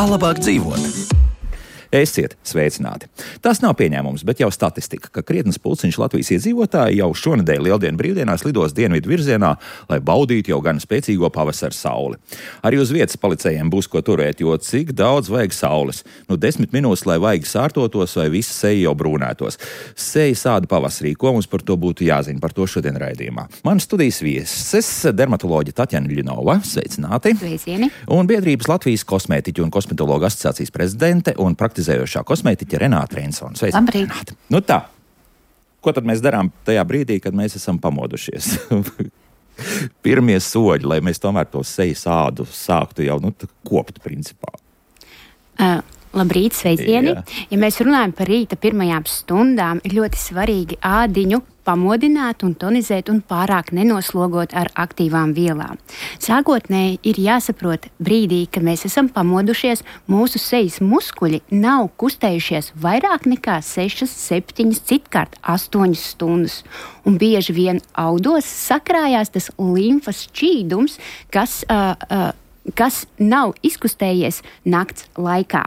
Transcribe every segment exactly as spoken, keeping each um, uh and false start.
Kā labāk dzīvot? Esiet sveicināti. Tas nav pieņēmums, bet jau statistika, ka krietnes pulciņš Latvijas iedzīvotāji jau šonedēļ lieldienu brīvdienās lidos dienvidu virzienā, lai baudītu jau gan spēcīgo pavasara sauli. Arī uz vietas policējiem būs ko turēt, jo cik daudz vajag saules. Nu, desmit minūtes, lai vaigi sārtotos vai visa seja jau brūnētos. Seja sāda pavasarī, ko mums par to būtu jāzina, par to šodien raidījumā. Man studijas vieses dermatoloģa Tatjana Ļinova, sveicināti. Sveicieni. Un biedrības Latvijas kosmētiķu un kosmetologu asociācijas prezidente un praktizējošā kosmētiķa Renāta Reinsone. Labrīt. Nu tā, ko tad mēs darām tajā brīdī, kad mēs esam pamodušies? Pirmie soļi, lai mēs tomēr to seju sādu sāktu jau nu, kopt principā. Uh. Labrīt, sveicieni! Jā. Ja mēs runājam par rīta pirmajām stundām, ir ļoti svarīgi ādiņu pamodināt un tonizēt un pārāk nenoslogot ar aktīvām vielām. Sākotnēji ir jāsaprot brīdī, kad mēs esam pamodušies, mūsu sejas muskuļi nav kustējušies vairāk nekā sešas, septiņas, citkārt astoņas stundas. Un bieži vien audos sakrājās tas limfas šķīdums, kas, uh, uh, kas nav izkustējies nakts laikā.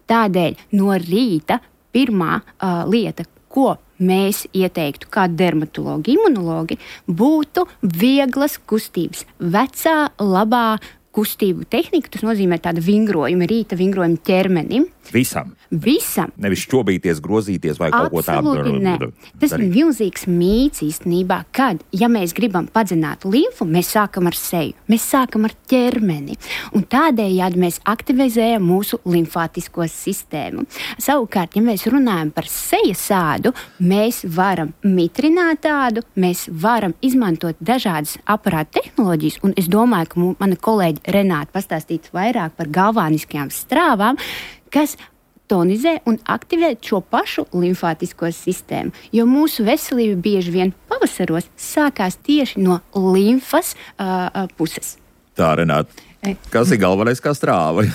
Tādēļ no rīta pirmā uh, lieta, ko mēs ieteiktu kā dermatologi, imunologi, būtu vieglas kustības, vecā, labā kustību tehnika. Tas nozīmē tādu vingrojumu, rīta vingrojumu ķermenim. Visam. Visam. Nevis šķobīties, grozīties vai kaut ko tādu. Absolūti ne. Tas ir milzīgs mīts īstenībā, kad, ja mēs gribam padzināt limfu, mēs sākam ar seju, mēs sākam ar ķermeni. Un tādējādi mēs aktivizējam mūsu limfātisko sistēmu. Savukārt, ja mēs runājam par sejas sādu, mēs varam mitrināt tādu, mēs varam izmantot dažādas aparātu tehnoloģijas, un es domāju, ka mana kolēģi Renāta pastāstīs vairāk par galvāniskajām strāvām, kas tonizē un aktivē šo pašu limfātisko sistēmu. Jo mūsu veselība bieži vien pavasaros sākās tieši no limfas uh, uh, puses. Tā, Renāta. Kas ir galvenais kā strāva?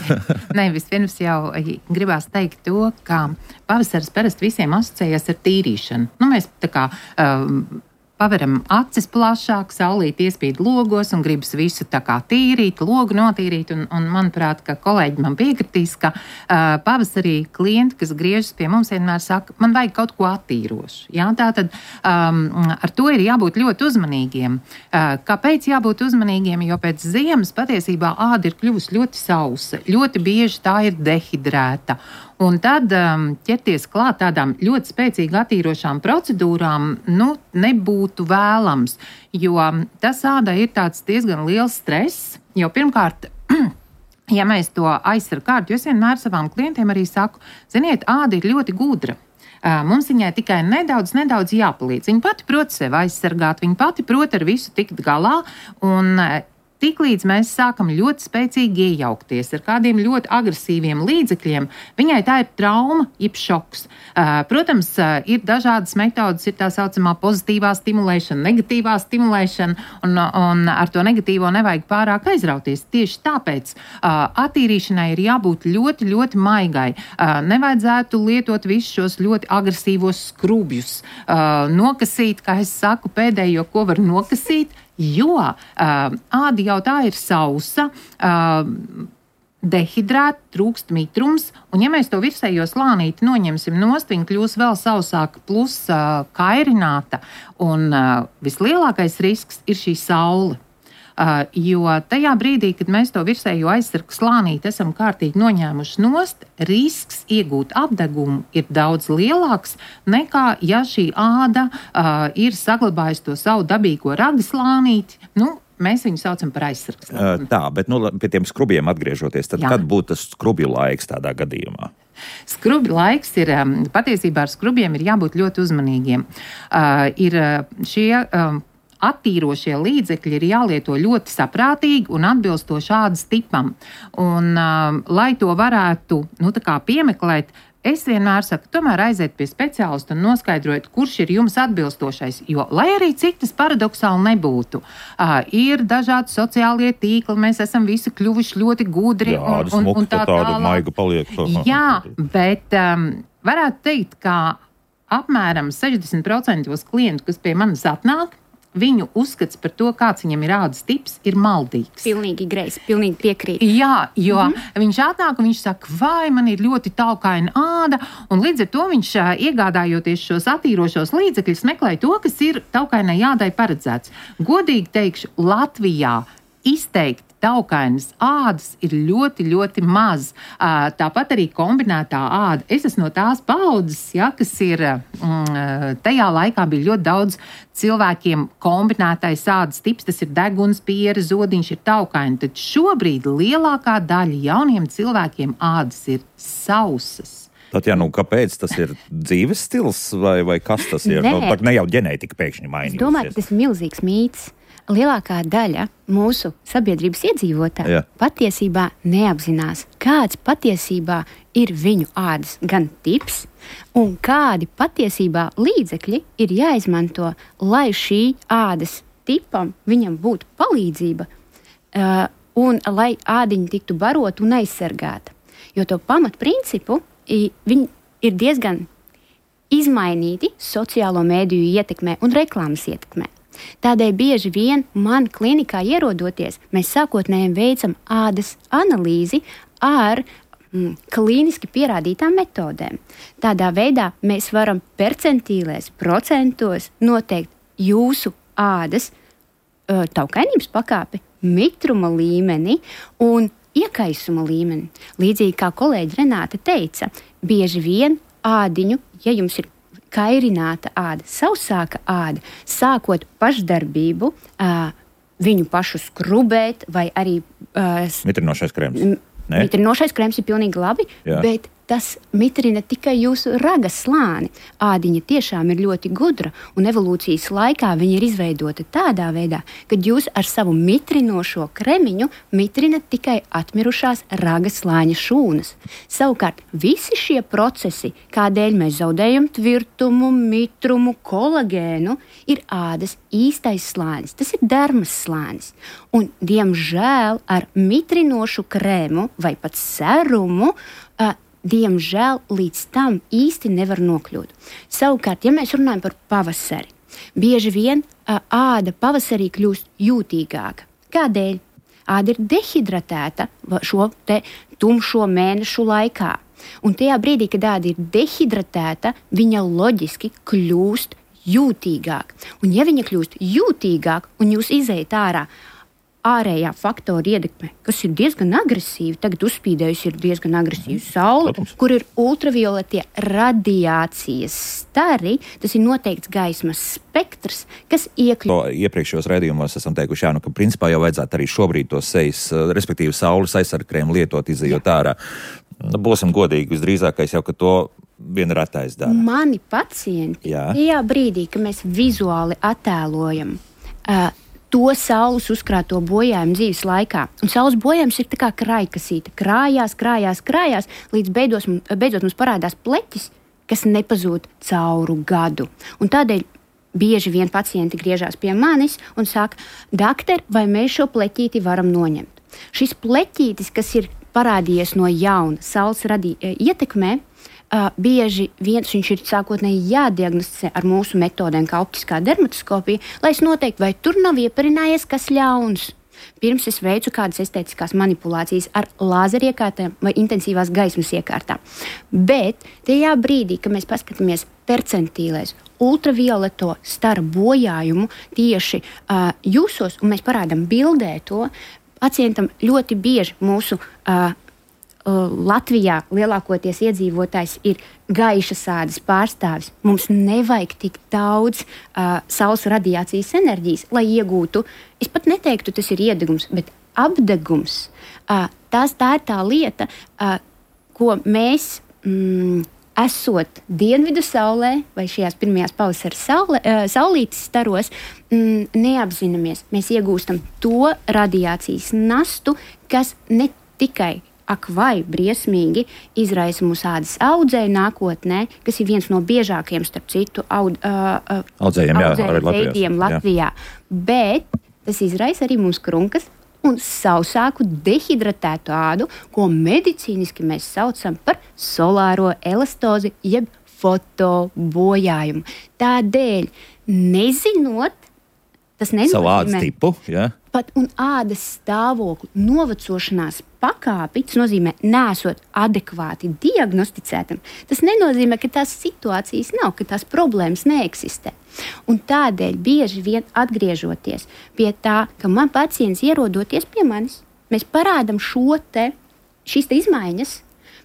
Nē, vispirms jau gribās teikt to, ka pavasaris parasti visiem asociējas ar tīrīšanu. Nu, mēs tā kā... Um, Paveram acis plašāk, saulīti iespīd logos un gribas visu tā kā tīrīt, logu notīrīt. Un, un manuprāt, ka kolēģi man piekritīs, ka uh, pavasarī klienti, kas griežas pie mums, vienmēr saka, man vajag kaut ko attīrošu. Jā, tātad um, ar to ir jābūt ļoti uzmanīgiem. Uh, kāpēc jābūt uzmanīgiem? Jo pēc ziemas patiesībā āda ir kļuvusi ļoti sausa, ļoti bieži tā ir dehidrēta. Un tad um, ķerties klāt tādām ļoti spēcīgi attīrošām procedūrām, nu, nebūtu vēlams, jo tas ādai ir tāds diezgan liels stress, jo pirmkārt, ja mēs to aizsargu kārtu, jo es vienmēr savām klientiem arī saku, ziniet, āda ir ļoti gudra. Uh, mums viņai tikai nedaudz, nedaudz jāpalīdz. Viņa pati prot sevi aizsargāt, viņa pati prot ar visu tikt galā, un uh, tiklīdz mēs sākam ļoti spēcīgi iejaukties ar kādiem ļoti agresīviem līdzekļiem, viņai tā ir trauma, jeb šoks. Protams, ir dažādas metodas, ir tā saucamā pozitīvā stimulēšana, negatīvā stimulēšana, un, un ar to negatīvo nevajag pārāk aizrauties. Tieši tāpēc attīrīšanai ir jābūt ļoti, ļoti maigai. Nevajadzētu lietot visus šos ļoti agresīvos skrubjus. Nokasīt, kā es saku, pēdējo, ko var nokasīt, jo uh, āda jau tā ir sausa, uh, dehidrēta, trūkst mitrums, un ja mēs to virsējo slānīti noņemsim nost, viņa kļūs vēl sausāka plus uh, kairināta, un uh, vislielākais risks ir šī saule. Uh, jo tajā brīdī, kad mēs to virsējo aizsargu slānīti esam kārtīgi noņēmuši nost, risks iegūt apdegumu ir daudz lielāks nekā, ja šī āda uh, ir saglabājusi to savu dabīgo raga slānīti. Nu, mēs viņu saucam par aizsargu slānīti. Uh, tā, bet nu, pie tiem skrubjiem atgriežoties, tad Jā. Kad būtu tas skrubju laiks tādā gadījumā? Skrubju laiks ir, patiesībā ar skrubjiem ir jābūt ļoti uzmanīgiem. Uh, ir šie... Um, Attīrošie līdzekļi ir jālieto ļoti saprātīgi un atbilstoši ādas tipam. Un, uh, lai to varētu nu, tā kā piemeklēt, es vienmēr saku, tomēr aiziet pie speciālista un noskaidrojiet, kurš ir jums atbilstošais. Jo, lai arī cik tas paradoxāli nebūtu, uh, ir dažādi sociālie tīkli, mēs esam visi kļuvuši ļoti gudri. Jā, un, un, un tā tāda maiga paliek. Jā, bet um, varētu teikt, ka apmēram sešdesmit procenti klientu, kas pie manis atnāk, viņu uzskats par to, kāds viņam ir ādas tips, ir maldīgs. Pilnīgi greizs, pilnīgi piekrīt. Jā, jo mm-hmm. viņš atnāk un viņš saka, vai man ir ļoti taukaina āda, un līdz ar to viņš iegādājoties šos attīrošos līdzekļus meklē to, kas ir taukainai ādai paredzēts. Godīgi teikšu, Latvijā izteikti taukainas ādas ir ļoti, ļoti maz. Tāpat arī kombinētā āda. Es esmu no tās paudzes, ja, kas ir, mm, tajā laikā bija ļoti daudz cilvēkiem kombinētais ādas tips, tas ir deguns, piere, zodiņš, ir taukaini. Tad šobrīd lielākā daļa jauniem cilvēkiem ādas ir sausas. Tad, jā, nu, kāpēc tas ir dzīves stils vai, vai kas tas ir? Nē. Nu, pat ne jau ģenētika pēkšņi mainījusies. Es domāju, ka tas ir milzīgs mīts. Lielākā daļa mūsu sabiedrības iedzīvotāju Jā. patiesībā neapzinās, kāds patiesībā ir viņu ādas gan tips, un kādi patiesībā līdzekļi ir jāizmanto, lai šī ādas tipam viņam būtu palīdzība uh, un lai ādiņa tiktu barota un aizsargāta. Jo to pamatprincipu i, viņi ir diezgan izmainīti sociālo mēdīju ietekmē un reklāmas ietekmē. Tādēļ bieži vien man klinikā ierodoties, mēs sākotnēji veicam ādas analīzi ar mm, klīniski pierādītām metodēm. Tādā veidā mēs varam percentīlēs, procentos noteikt jūsu ādas uh, taukainības pakāpi, mitruma līmeni un iekaisuma līmeni. Līdzīgi kā kolēģi Renāte teica, bieži vien ādiņu, ja jums ir kairināta āda, sausāka āda, sākot pašdarbību, uh, viņu pašu skrubēt vai arī... Uh, Mitrinošais krēms. M- mitrinošais krēms ir pilnīgi labi, Jā. bet tas mitrina tikai jūsu ragas slāni. Ādiņa tiešām ir ļoti gudra, un evolūcijas laikā viņa ir izveidota tādā veidā, kad jūs ar savu mitrinošo kremiņu mitrinat tikai atmirušās ragas slāņa šūnas. Savukārt, visi šie procesi, kādēļ mēs zaudējam tvirtumu, mitrumu, kolagēnu, ir ādas īstais slānis. Tas ir dermas slānis. Un, diemžēl, ar mitrinošu krēmu vai pat serumu, uh, diemžēl līdz tam īsti nevar nokļūt. Savukārt, ja mēs runājam par pavasari, bieži vien uh, āda pavasarī kļūst jūtīgāka. Kādēļ? Āda ir dehidratēta šo te tumšo mēnešu laikā. Un tajā brīdī, kad āda ir dehidratēta, viņa loģiski kļūst jūtīgāk. Un ja viņa kļūst jūtīgāk un jūs izejat ārā, ārējā faktora ietekme, kas ir diezgan agresīva, tagad uzspīdējusi ir diezgan agresīva saule, Protams. Kur ir ultravioletie radiācijas stari, tas ir noteikts gaismas spektrs, kas iekļūt. Iepriekšējos raidījumos esam teikuši, jā, nu, ka principā jau vajadzētu arī šobrīd to sejas, respektīvi saules aizsargkrēmu lietot, izejot ārā. Būsim godīgi, visdrīzākais jau, ka to viena retais dara. Mani pacienti, jā. tajā brīdī, ka mēs vizuāli attēlojam uh, to saules uzkrāto bojājumu dzīves laikā. Un saules bojājums ir tā kā krājkasīte. Krājās, krājās, krājās, līdz beidos, beidzot mums parādās pleķis, kas nepazūd cauru gadu. Un tādēļ bieži vien pacienti griežās pie manis un saka, doktor, vai mēs šo pleķīti varam noņemt? Šis pleķītis, kas ir parādījies no jauna saules radī, ietekmē, Uh, bieži viens viņš ir sākotnēji jādiagnosticē ar mūsu metodēm, kā optiskā dermatoskopija, lai es noteiktu, vai tur nav ieparinājies kas ļauns. Pirms es veicu kādas estētiskās manipulācijas ar lāzeriekārtām vai intensīvās gaismas iekārtām. Bet tajā brīdī, kad mēs paskatāmies percentīlēs, ultravioleto staru bojājumu tieši uh, jūsos, un mēs parādām bildē to, pacientam ļoti bieži mūsu uh, Latvijā lielākoties iedzīvotājs ir gaišas ādas pārstāvis. Mums nevajag tik daudz uh, saules radiācijas enerģijas, lai iegūtu, es pat neteiktu, tas ir iedegums, bet apdegums. Uh, tās, tā ir tā lieta, uh, ko mēs, mm, esot dienvidu saulē vai šajās pirmajās pavasara saule, uh, saulītes staros, mm, neapzināmies. Mēs iegūstam to radiācijas nastu, kas ne tikai ak vai briesmīgi izraisa mūsu ādas audzēju nākotnē, kas ir viens no biežākajiem, starp citu, aud, uh, audzējiem, audzēju veidiem Latvijā. Bet tas izraisa arī mums krunkas un sausāku dehidratētu ādu, ko medicīniski mēs saucam par solāro elastozi, jeb fotobojājumu. Tādēļ, nezinot Tas nenozīmē savu ādas tipu, jā. Pat un ādas stāvokli novecošanās pakāpi, tas nozīmē, nesot adekvāti diagnosticētam, tas nenozīmē, ka tās situācijas nav, ka tās problēmas neeksistē. Un tādēļ bieži vien atgriežoties pie tā, ka man pacients ierodoties pie manis, mēs parādam šo te, šīs te izmaiņas,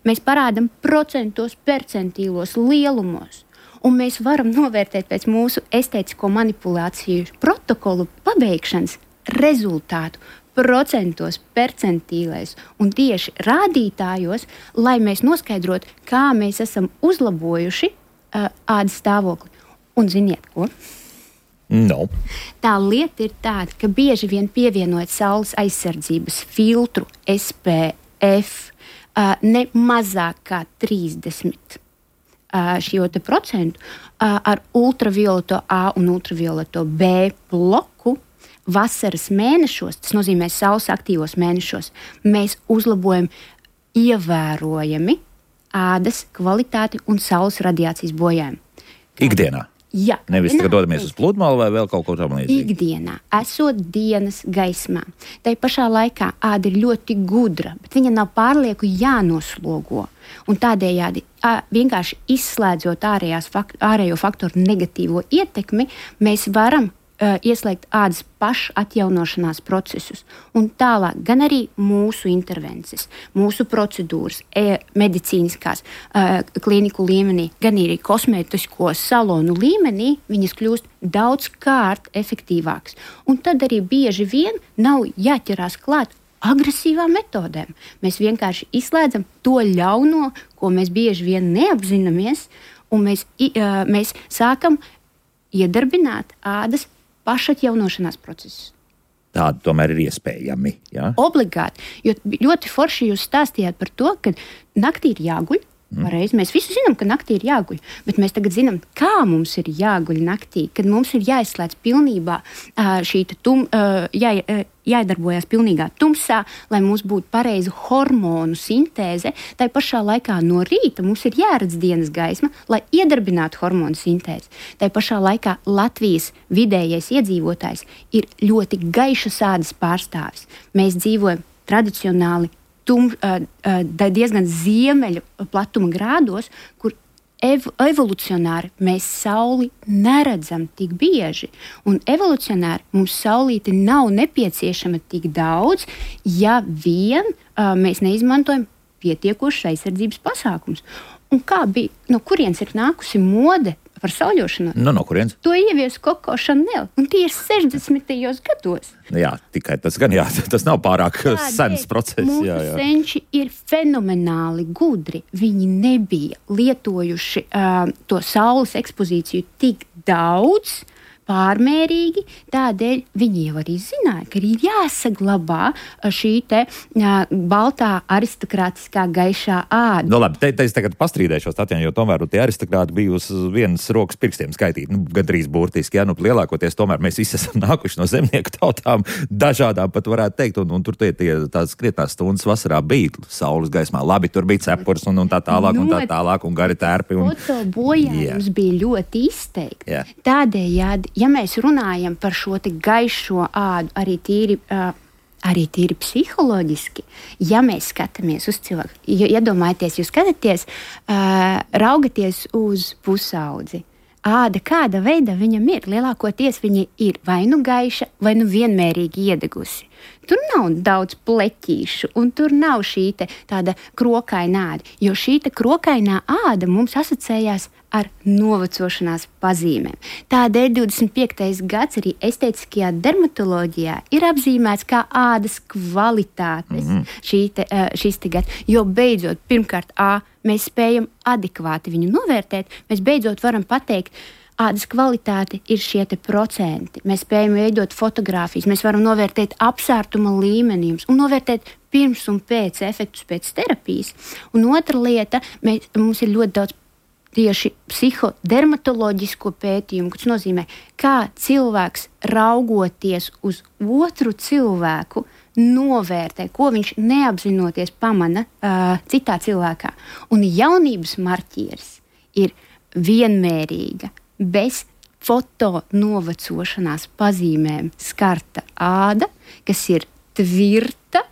mēs parādam procentos, percentīlos, lielumos, un mēs varam novērtēt pēc mūsu estētisko manipulāciju protokolu pabeigšanas rezultātu procentos, percentīlēs un tieši rādītājos, lai mēs noskaidrotu, kā mēs esam uzlabojuši uh, ādas stāvokli. Un ziniet ko? No. Tā lieta ir tāda, ka bieži vien pievienojot saules aizsardzības filtru S P F uh, ne mazāk kā trīsdesmit uh, šo te procentu uh, ar ultravioleto A un ultravioleto B bloku vasaras mēnešos, tas nozīmē saules aktīvos mēnešos, mēs uzlabojam ievērojami ādas kvalitāti un saules radiācijas bojājumu. Ikdienā? Jā. Nevis tagad dodamies uz pludmali vai vēl kaut ko tam līdzīgi? Ikdienā, esot dienas gaismā. Tai pašā laikā āda ir ļoti gudra, bet viņa nav pārlieku jānoslogo. Un tādējādi vienkārši izslēdzot ārējās, ārējo faktoru negatīvo ietekmi, mēs varam Uh, ieslēgt ādas pašatjaunošanās procesus. Un tālāk gan arī mūsu intervences, mūsu procedūras, e, medicīniskās uh, kliniku līmenī, gan arī kosmētisko salonu līmenī, viņas kļūst daudzkārt efektīvākas. Un tad arī bieži vien nav jāķerās klāt agresīvām metodēm. Mēs vienkārši izslēdzam to ļauno, ko mēs bieži vien neapzināmies, un mēs, uh, mēs sākam iedarbināt ādas pašatjaunošanās procesus. Tādi tomēr ir iespējami. Ja? Obligāti. Jo ļoti forši jūs stāstījāt par to, ka naktī ir jāguļ. Pareizi. Mēs visi zinām, ka naktī ir jāguļ, bet mēs tagad zinām, kā mums ir jāguļ naktī, kad mums ir jāizslēdz pilnībā šī tum, jā, jādarbojas pilnīgā tumsā, lai mums būtu pareiza hormonu sintēze. Tā pašā laikā no rīta mums ir jāredz dienas gaisma, lai iedarbinātu hormonu sintēzi. Tā pašā laikā Latvijas vidējais iedzīvotājs ir ļoti gaišas ādas pārstāvis. Mēs dzīvojam tradicionāli Tum, uh, uh, diezgan ziemeļu platuma grādos, kur ev, evolucionāri mēs sauli neredzam tik bieži. Un evolucionāri mums saulīte nav nepieciešama tik daudz, ja vien uh, mēs neizmantojam pietiekošas aizsardzības pasākums. Un kā bija, no kurienes ir nākusi mode par sauļošanos? No, no kurienes? To ievies Coco Chanel, un tie ir sešdesmitajos gados. Jā, tikai tas gan jā, tas nav pārāk Tādēļ sens process. Mūsu jā, jā. senči ir fenomenāli gudri. Viņi nebija lietojuši uh, to saules ekspozīciju tik daudz, pārmērīgi, tādēļ viņi jau arī zināja, ka ir jāsaglabā šī te uh, baltā aristokrātiskā gaišā āda. Nu labi, te, te es tagad pastrīdēšos, Tatjana, jo tomēr tie aristokrāti bija uz vienas rokas pirkstiem skaitīti, nu, gandrīz burtiski, jā, nu, lielākoties tomēr mēs visi esam nākuši no zemnieku tautām, dažādām pat varētu teikt, un, un tur tie, tie tās krietnās stundas vasarā bija saules gaismā. Labi, tur bija cepurs un, un tā tālāk, un tā tālāk, un gari tērpi. Un... Foto bojājums bija ļoti izteikti. Jā. Tādējādi, ja mēs runājam par šo te gaišo ādu, arī tīri, uh, arī tīri psiholoģiski, ja mēs skatāmies uz cilvēku, iedomājieties, jūs skatāties, uh, raugaties uz pusaudzi, āda kāda veida viņam ir, lielākoties viņa ir vai nu gaiša, vai nu vienmērīgi iedegusi. Tur nav daudz pleķīšu, un tur nav šī te tāda krokaina āda, jo šī te krokainā āda mums asociējās ar novecošanās pazīmēm. Tādēļ divdesmit piektais gads arī estētiskajā dermatoloģijā ir apzīmēts kā ādas kvalitātes mm-hmm. šī te, šis te gads, jo beidzot, pirmkārt, A, mēs spējam adekvāti viņu novērtēt, mēs beidzot varam pateikt, ādas kvalitāte ir šie te procenti. Mēs spējam veidot fotogrāfijas, mēs varam novērtēt apsārtuma līmenījums un novērtēt pirms un pēc efektus pēc terapijas. Un otra lieta, mēs, mums ir ļoti daudz tieši psihodermatoloģisko pētījumu, kas nozīmē, kā cilvēks raugoties uz otru cilvēku novērtē, ko viņš neapzinoties pamana uh, citā cilvēkā. Un jaunības marķieris ir vienmērīga, bez fotonovecošanās pazīmēm skarta āda, kas ir tvirta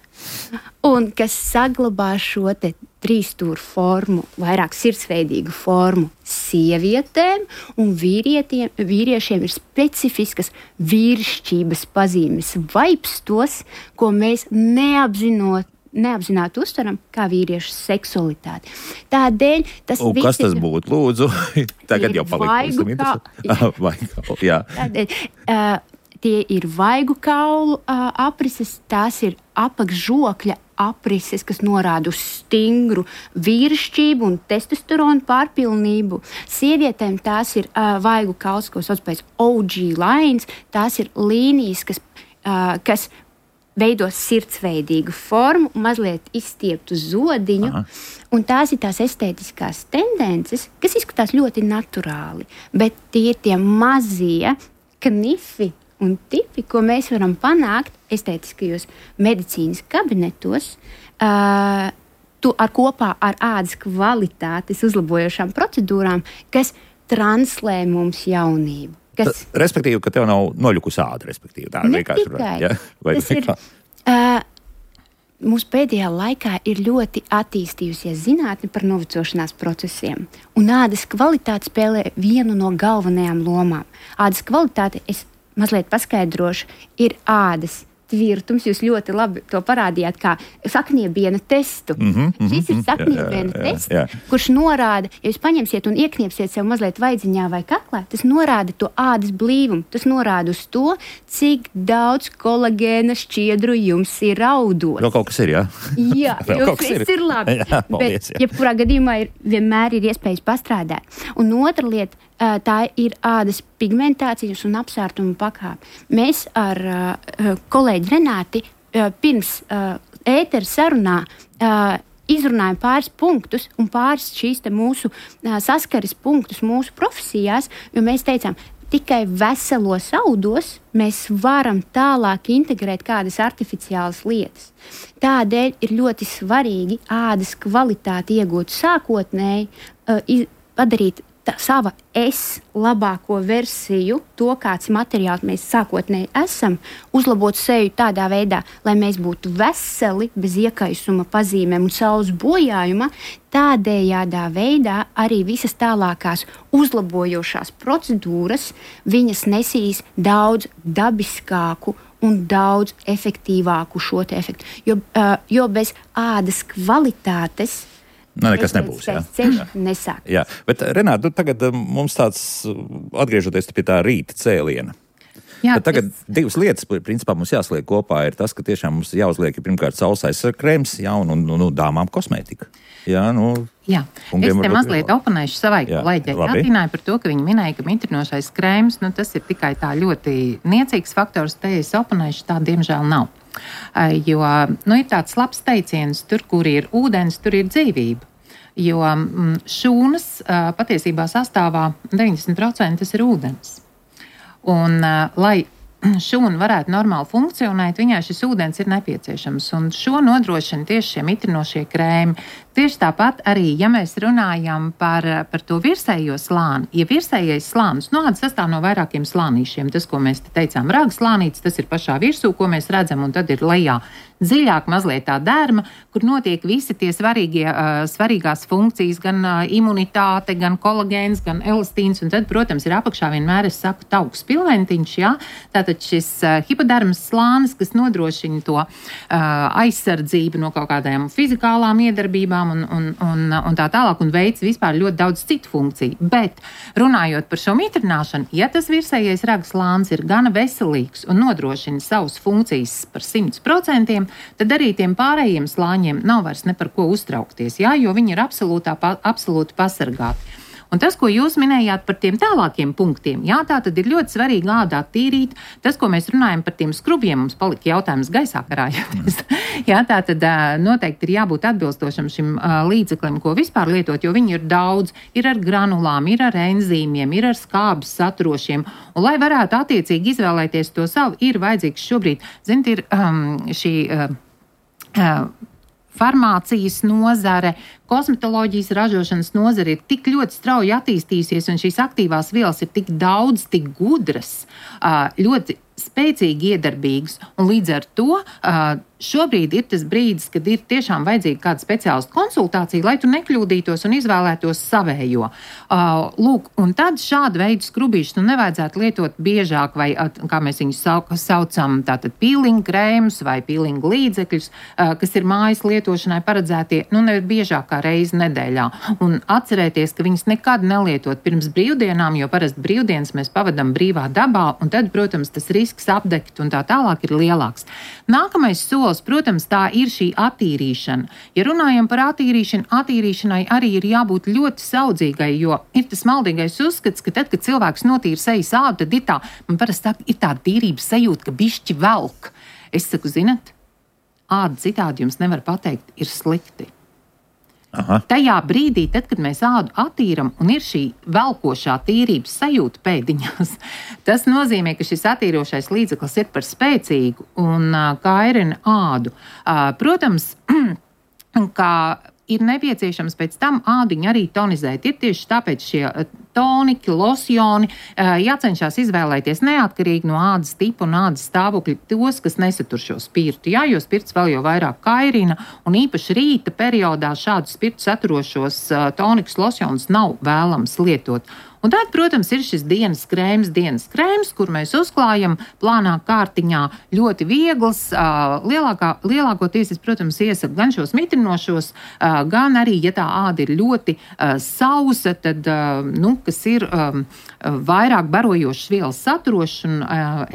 un kas saglabā šo te trīsstūru formu, vairāk sirdsveidīgu formu sievietēm, un vīriešiem ir specifiskas vīrišķības pazīmes, vaipstos, ko mēs neapzinot, neapzināti uztveram kā vīriešu seksualitāti. Tādēļ tas un kas tas būtu, lūdzu? Tagad jau vaigu kaulu, jā. Tādēļ, uh, tie ir vaigu kaulu uh, aprises, tās ir apakšžokļa aprises, kas norāda uz stingru vīrišķību un testosteronu pārpilnību. Sievietēm tās ir uh, vaigu kauls, ko sauc pēc O G lines, tās ir līnijas, kas, uh, kas veido sirdsveidīgu formu, mazliet izstieptu zodiņu, Aha. un tās ir tās estētiskās tendences, kas izskatās ļoti naturāli, bet tie ir tie mazie knifi un tipi, ko mēs varam panākt estētiskajos medicīnas kabinetos, uh, tu ar kopā ar ādas kvalitātes uzlabojošām procedūrām, kas translē mums jaunību. Kas... Ta, respektīvi, ka tev nav noļukus āda, respektīvi. Tā ne tikai. Ja? Vai Tas ir, uh, mūsu pēdējā laikā ir ļoti attīstījusies zinātne par novecošanās procesiem, un ādas kvalitāte spēlē vienu no galvenajām lomām. Ādas kvalitāte, es mazliet paskaidrošu, ir ādas tvirtums. Jūs ļoti labi to parādījāt kā sakniebiena testu. Mm-hmm, mm-hmm, Šis ir sakniebiena jā, jā, tests, jā. kurš norāda, ja jūs paņemsiet un iekniepsiet sev mazliet vaidziņā vai kaklā, tas norāda to ādas blīvumu. Tas norāda uz to, cik daudz kolagēna šķiedru jums ir audos. Vēl kaut kas ir, jā? Jā, jums viss ir labi. Jā, paldies, bet, jebkurā gadījumā ir, vienmēr ir iespējas pastrādāt. Un otra lieta, tā ir ādas pigmentācijas un apsārtuma pakāpe. Mēs ar uh, kolēģi Renāti uh, pirms uh, ētera sarunā uh, izrunājam pāris punktus un pāris šīs te mūsu uh, saskares punktus mūsu profesijās, jo mēs teicām, tikai veselos audos mēs varam tālāk integrēt kādas artificiālas lietas. Tādēļ ir ļoti svarīgi ādas kvalitāti iegūt sākotnēji, uh, iz, padarīt Tā, sava es labāko versiju, to kāds materiāls mēs sākotnēji esam, uzlabot seju tādā veidā, lai mēs būtu veseli, bez iekaisuma pazīmēm un saules bojājuma, tādējādā veidā arī visas tālākās uzlabojošās procedūras viņas nesīs daudz dabiskāku un daudz efektīvāku šo te efektu. Jo, uh, jo bez ādas kvalitātes Nu, nekas nebūs. Jā. Nesāk. Jā, bet Renāta, tagad mums tāds, atgriežoties pie tā rīta cēliena. Jā, tagad es... divas lietas, principā, mums jāsliek kopā, ir tas, ka tiešām mums jāuzliek pirmkārt saules aizsargkrēms, jā, un, un, un, un dāmām kosmētika. Jā, nu... Jā, es te mazliet oponēšu savai kolēģei Atīnai par to, ka viņi minēja, ka mitrinošais krēms, nu tas ir tikai tā ļoti niecīgs faktors, te es oponēšu, tā diemžēl nav. Jo nu, ir tāds labs teiciens, tur, kur ir ūdens, tur ir dzīvība. Jo šūnas patiesībā sastāvā deviņdesmit procenti tas ir ūdens. Un, lai šūna varētu normāli funkcionēt, viņai šis ūdens ir nepieciešams. Un šo nodrošina tieši šie mitrinošie krēmi. Tieši tāpat arī, ja mēs runājam par, par to virsējo slāni, ja virsējais slānis, nu, sastāv no vairākiem slānīšiem, tas, ko mēs te teicām, raga slānītis, tas ir pašā virsū, ko mēs redzam, un tad ir lejā dziļāk mazliet tā derma, kur notiek visi tie svarīgie, uh, svarīgās funkcijas, gan uh, imunitāte, gan kolagēns, gan elastīns, un tad, protams, ir apakšā vienmēr, es saku, tauks pilventiņš, jā, tātad šis uh, hipodermas slānis, kas nodrošina to uh, aizsardzību no kaut kādām fizikālām iedarbībām, Un, un, un, un tā tālāk, un veids vispār ļoti daudz citu funkciju. Bet, runājot par šo mitrināšanu, ja tas virsējais raga slānis ir gana veselīgs un nodrošina savas funkcijas par simt procentiem, tad arī tiem pārējiem slāņiem nav vairs ne par ko uztraukties, jā, jo viņi ir absolūtā, pa, absolūti pasargāti. Un tas, ko jūs minējāt par tiem tālākiem punktiem, jā, tā tad ir ļoti svarīgi ādā tīrīt. Tas, ko mēs runājam par tiem skrubjiem, mums palika jautājums gaisā karājoties. jā, tā tad noteikti ir jābūt atbilstošam šim līdzeklim, ko vispār lietot, jo viņi ir daudz, ir ar granulām, ir ar enzīmiem, ir ar skābes saturošiem. Un, lai varētu attiecīgi izvēlēties to savu, ir vajadzīgs šobrīd, ziniet, ir um, šī... Uh, uh, farmācijas nozare, kosmetoloģijas ražošanas nozare ir tik ļoti strauji attīstījusies, un šīs aktīvās vielas ir tik daudz, tik gudras, ļoti spēcīgi iedarbīgas, un līdz ar to šobrīd ir tas brīdis, kad ir tiešām vajadzīga kāda speciālista konsultācija, lai tu nekļūdītos un izvēlētos savējo. Lūk, un tad šādu veidu skrubīšus nu nevajadzētu lietot biežāk, vai, kā mēs viņus saucam, tātad pīlinga krēmus vai pīlinga līdzekļus, kas ir mājas lietošanai paredzētie, nu nevar biežāk kā reizi nedēļā. Un atcerēties, ka viņus nekad nelietot pirms brīvdienām, jo parasti brīvdienas mēs pavadam brīvā dabā, un tad, protams, tas risks apdegt un tā tālāk ir lielāks. Nākamais solis, protams, tā ir šī attīrīšana. Ja runājam par attīrīšanu, attīrīšanai arī ir jābūt ļoti saudzīgai, jo ir tas maldīgais uzskats, ka tad, kad cilvēks notīra sejas ādu, tad ir tā, man parasti tā, ir tā tīrības sajūta, ka bišķi velk. Es saku, zinat, āda citādi jums nevar pateikt, ir slikti. Aha. Tajā brīdī, tad, kad mēs ādu attīram un ir šī velkošā tīrības sajūta pēdiņās, tas nozīmē, ka šis attīrošais līdzeklis ir par spēcīgu un uh, kairina ādu. Uh, protams, kā ir nepieciešams pēc tam ādiņu arī tonizēt. Ir tieši tāpēc šie toniki, losjoni jācenšas izvēlēties neatkarīgi no ādas tipa un ādas stāvokļa tos, kas nesatur šo spirtu. Jā, jo spirts vēl jau vairāk kairina, un īpaši rīta periodā šādu spirtu saturošos tonikus, losjonus nav vēlams lietot. Un tad, protams, ir šis dienas krēms, dienas krēms, kur mēs uzklājam plānā kārtiņā ļoti viegls. Lielākā, lielākoties, es, protams, iesaku gan šos mitrinošos, gan arī, ja tā āda ir ļoti sausa, tad, nu, kas ir vairāk barojošas vielas saturoši un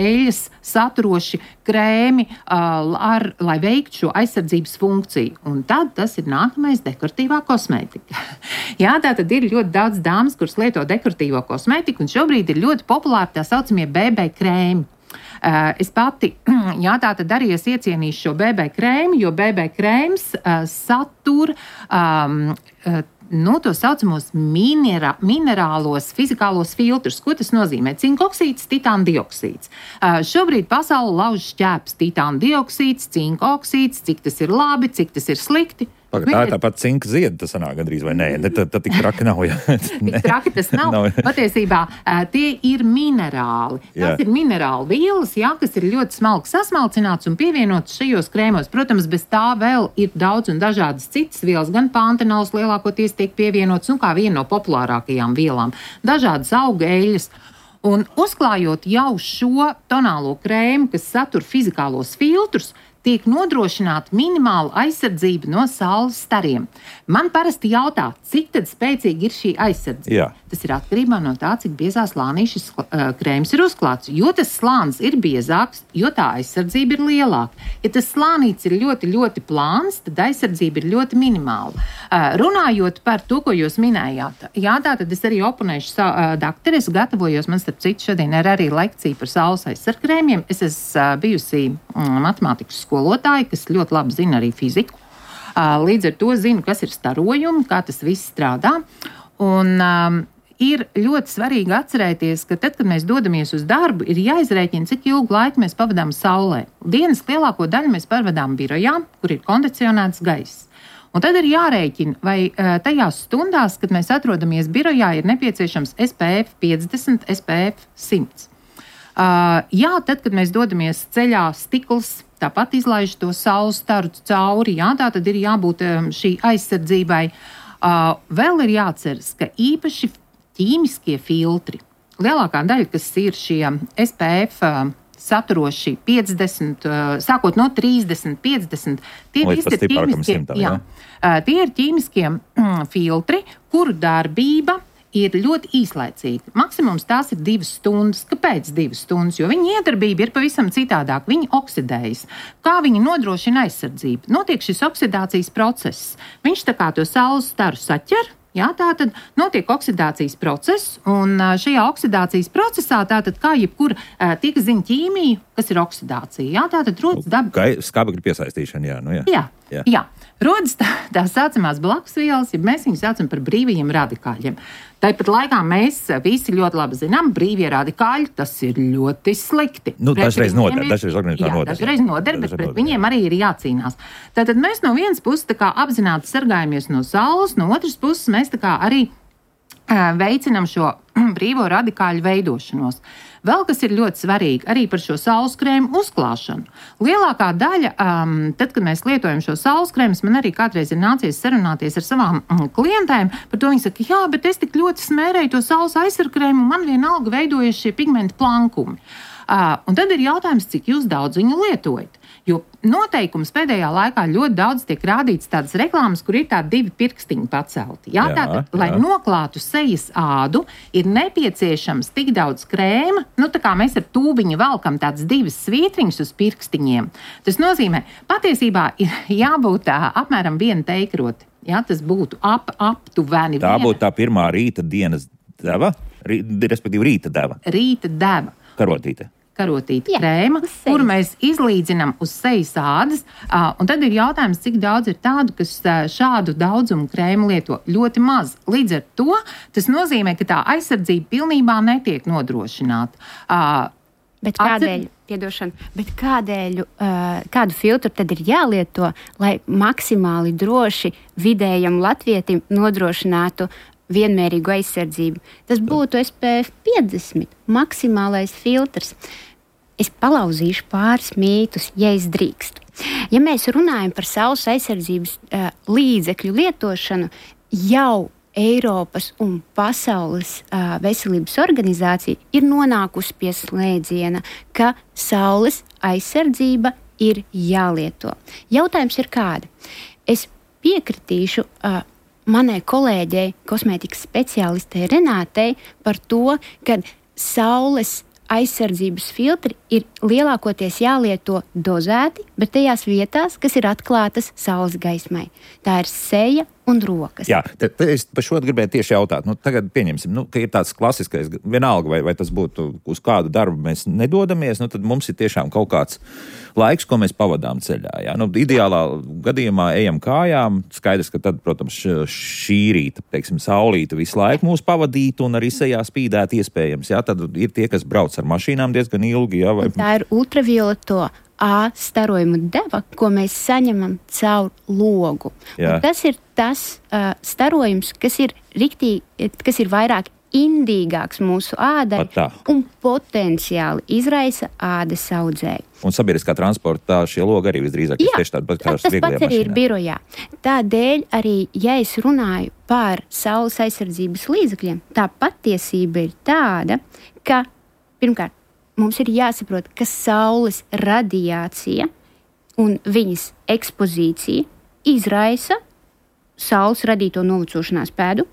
eļas saturoši krēmi, ar, lai veiktu šo aizsardzības funkciju. Un tad tas ir nākamais dekoratīvā kosmētika. Jā, tā tad ir ļoti daudz dāmas, kuras lieto dekoratīvo kosmētiku, un šobrīd ir ļoti populāri tā saucamie B B krēmi. Es pati, jā, tā tad arī es iecienīšu šo B B krēmu, jo B B krēms uh, satur um, uh, nu, to saucamos minera, minerālos fizikālos filtrus. Ko tas nozīmē? Cinkoksīds, titāna dioksīds. Uh, šobrīd pasauli lauž šķēps titāna dioksīds, cinkoksīds, cik tas ir labi, cik tas ir slikti. Pagad, tā ir tāpat cinka zieda, tas sanāk gandrīz, vai nē? Tad tik traki nav, jā. Tik traki tas nav. nav. Patiesībā tie ir minerāli. Tas jā. ir minerāli vielas, jā, kas ir ļoti smalki sasmalcināts un pievienots šajos krēmos. Protams, bez tā vēl ir daudz un dažādas citas vielas, gan pantenols lielākoties tiek pievienots, un kā viena no populārākajām vielām. Dažādas auga eļas. Un uzklājot jau šo tonālo krēmu, kas satur fizikālos filtrus, tiek nodrošināta minimāla aizsardzība no saules stariem. Man parasti jautā, cik tad spēcīgi ir šī aizsardzība. Jā. Tas ir atkarībā no tā, cik biezā slānī šis uh, krēms ir uzklāts. Jo tas slānis ir biezāks, jo tā aizsardzība ir lielāka. Ja tas slānīts ir ļoti, ļoti plāns, tad aizsardzība ir ļoti minimāla. Uh, runājot par to, ko jūs minējāt, jā, tā tad es arī oponēšu savu uh, dakteru. Es gatavojos, man starp citu šodien ir arī lekcija par saules aizsargkrēmiem. Es esmu uh, bijusi um, matemātikas skolotāji, kas ļoti labi zina arī fiziku. Līdz ar to zinu, kas ir starojumi, kā tas viss strādā. Un um, ir ļoti svarīgi atcerēties, ka tad, kad mēs dodamies uz darbu, ir jāizrēķina, cik ilgu laiku mēs pavadām saulē. Dienas lielāko daļu mēs pavadām birojā, kur ir kondicionēts gaiss. Un tad ir jārēķina, vai tajās stundās, kad mēs atrodamies birojā, ir nepieciešams S P F piecdesmit, S P F simt. Uh, jā, tad, kad mēs dodamies ceļā, stikls tāpat izlaiž to saules staru cauri, jā, tā tad ir jābūt um, šī aizsardzībai. Uh, vēl ir jāatceras, ka īpaši ķīmiskie filtri, lielākā daļa, kas ir šie S P F uh, saturoši piecdesmit, uh, sākot no trīsdesmit, piecdesmit, tie visi ir ķīmiskie, simtam, jā. Jā. Uh, tie ir ķīmiskie mm, filtri, kuru darbība ir ļoti īslaicīga. Maksimums tās ir divas stundas. Kāpēc divas stundas? Jo viņa iedarbība ir pavisam citādāk. Viņi oksidējas. Kā viņi nodrošina aizsardzību? Notiek šis oksidācijas process. Viņš tā kā to saules staru saķer. Jā, tā tad notiek oksidācijas process, un šajā oksidācijas procesā, tātad kā jebkura tie, kas zina ķīmiju, kas ir oksidācija, jā, tātad rodas daba. Skābekļa piesaistīšana, jā, nu jā. Jā, jā. jā. rodas tā, tā saucamās blakusvielas, ja mēs viņus saucam par brīvajiem radikāļiem. Tāpat laikā mēs visi ļoti labi zinām, brīvie radikāļi, tas ir ļoti slikti. Nu, dažreiz noder, dažreiz organizētā noder. Dažreiz noder, bet pret viņiem arī ir jācīnās. Tātad mēs no vienas puses tā kā apzināti sargājamies no saules, no otras puses mēs tā kā arī uh, veicinam šo brīvo radikāļu veidošanos. Vēl kas ir ļoti svarīgi, arī par šo sauleskrēmu uzklāšanu. Lielākā daļa, um, tad, kad mēs lietojam šo sauleskrēmus, man arī kādreiz ir nācies sarunāties ar savām mm, klientēm, par to viņi saka, jā, bet es tik ļoti smērēju to saules aizsargkrēmu, un man vienalga veidojas šie pigmenta plankumi. Uh, un tad ir jautājums, cik jūs daudz viņu lietojat. Jo noteikums pēdējā laikā ļoti daudz tiek rādīts tādas reklāmas, kur ir tādi divi pirkstiņi pacelti. Jā, jā, tātad, jā. Lai noklātu sejas ādu, ir nepieciešams tik daudz krēma, nu tā kā mēs ar tūbiņu velkam tādas divas svītriņas uz pirkstiņiem. Tas nozīmē, patiesībā ir jābūt tā, apmēram viena teikroti. Jā, tas būtu ap, aptuveni. Tā viena. būtu tā pirmā rīta dienas deva, rī, respektīvi rīta deva. Rīta deva. Karotīte. Karotīta krēma, kuru mēs izlīdzinām uz sejas ādas. Uh, un tad ir jautājums, cik daudz ir tādu, kas uh, šādu daudzumu krēmu lieto. Ļoti maz. Līdz ar to tas nozīmē, ka tā aizsardzība pilnībā netiek nodrošināta. Uh, bet kādēļ, piedošana, bet kādēļ, uh, kādu filtru tad ir jālieto, lai maksimāli droši vidējam latvietim nodrošinātu vienmērīgu aizsardzību? Tas būtu S P F piecdesmit, maksimālais filtrs. Es palauzīšu pāris mītus, ja es drīkstu. Ja mēs runājam par saules aizsardzības uh, līdzekļu lietošanu, jau Eiropas un pasaules uh, veselības organizācija ir nonākusi pie slēdziena, ka saules aizsardzība ir jālieto. Jautājums ir kāda? Es piekritīšu uh, manai kolēģei, kosmētikas speciālistei Renātei par to, ka saules aizsardzības filtri ir lielākoties jālieto dozēti, bet tajās vietās, kas ir atklātas saules gaismai. Tā ir seja un rokas. Jā, te, te es par šo gribēju tieši jautāt. Nu, tagad pieņemsim, nu, ka ir tāds klasiskais, vienalga, vai, vai tas būtu uz kādu darbu mēs nedodamies, nu, tad mums ir tiešām kaut kāds laiks, ko mēs pavadām ceļā. Jā. Nu, ideālā gadījumā ejam kājām, skaidrs, ka tad, protams, šī rīta, teiksim, saulīta visu laiku mūs pavadītu un arī sejā spīdēt iespējams. Jā. Tad ir tie, kas brauc ar mašīnām diezgan ilgi. Jā, vai... Tā ir ultravioleto A starojumu deva, ko mēs saņemam caur logu. Tas ir tas uh, starojums, kas ir, riktīgi, kas ir vairāk indīgāks mūsu ādai un potenciāli izraisa ādas audzēju. Un sabiedriskā transportā šie logi arī visdrīzāk ir tieši tādi pat kā tas pats arī ir birojā. Tādēļ arī, ja es runāju par saules aizsardzības līdzekļiem, tā patiesība ir tāda, ka pirmkārt, mums ir jāsaprot, ka saules radiācija un viņas ekspozīcija izraisa saules radīto novecošanās pēdu,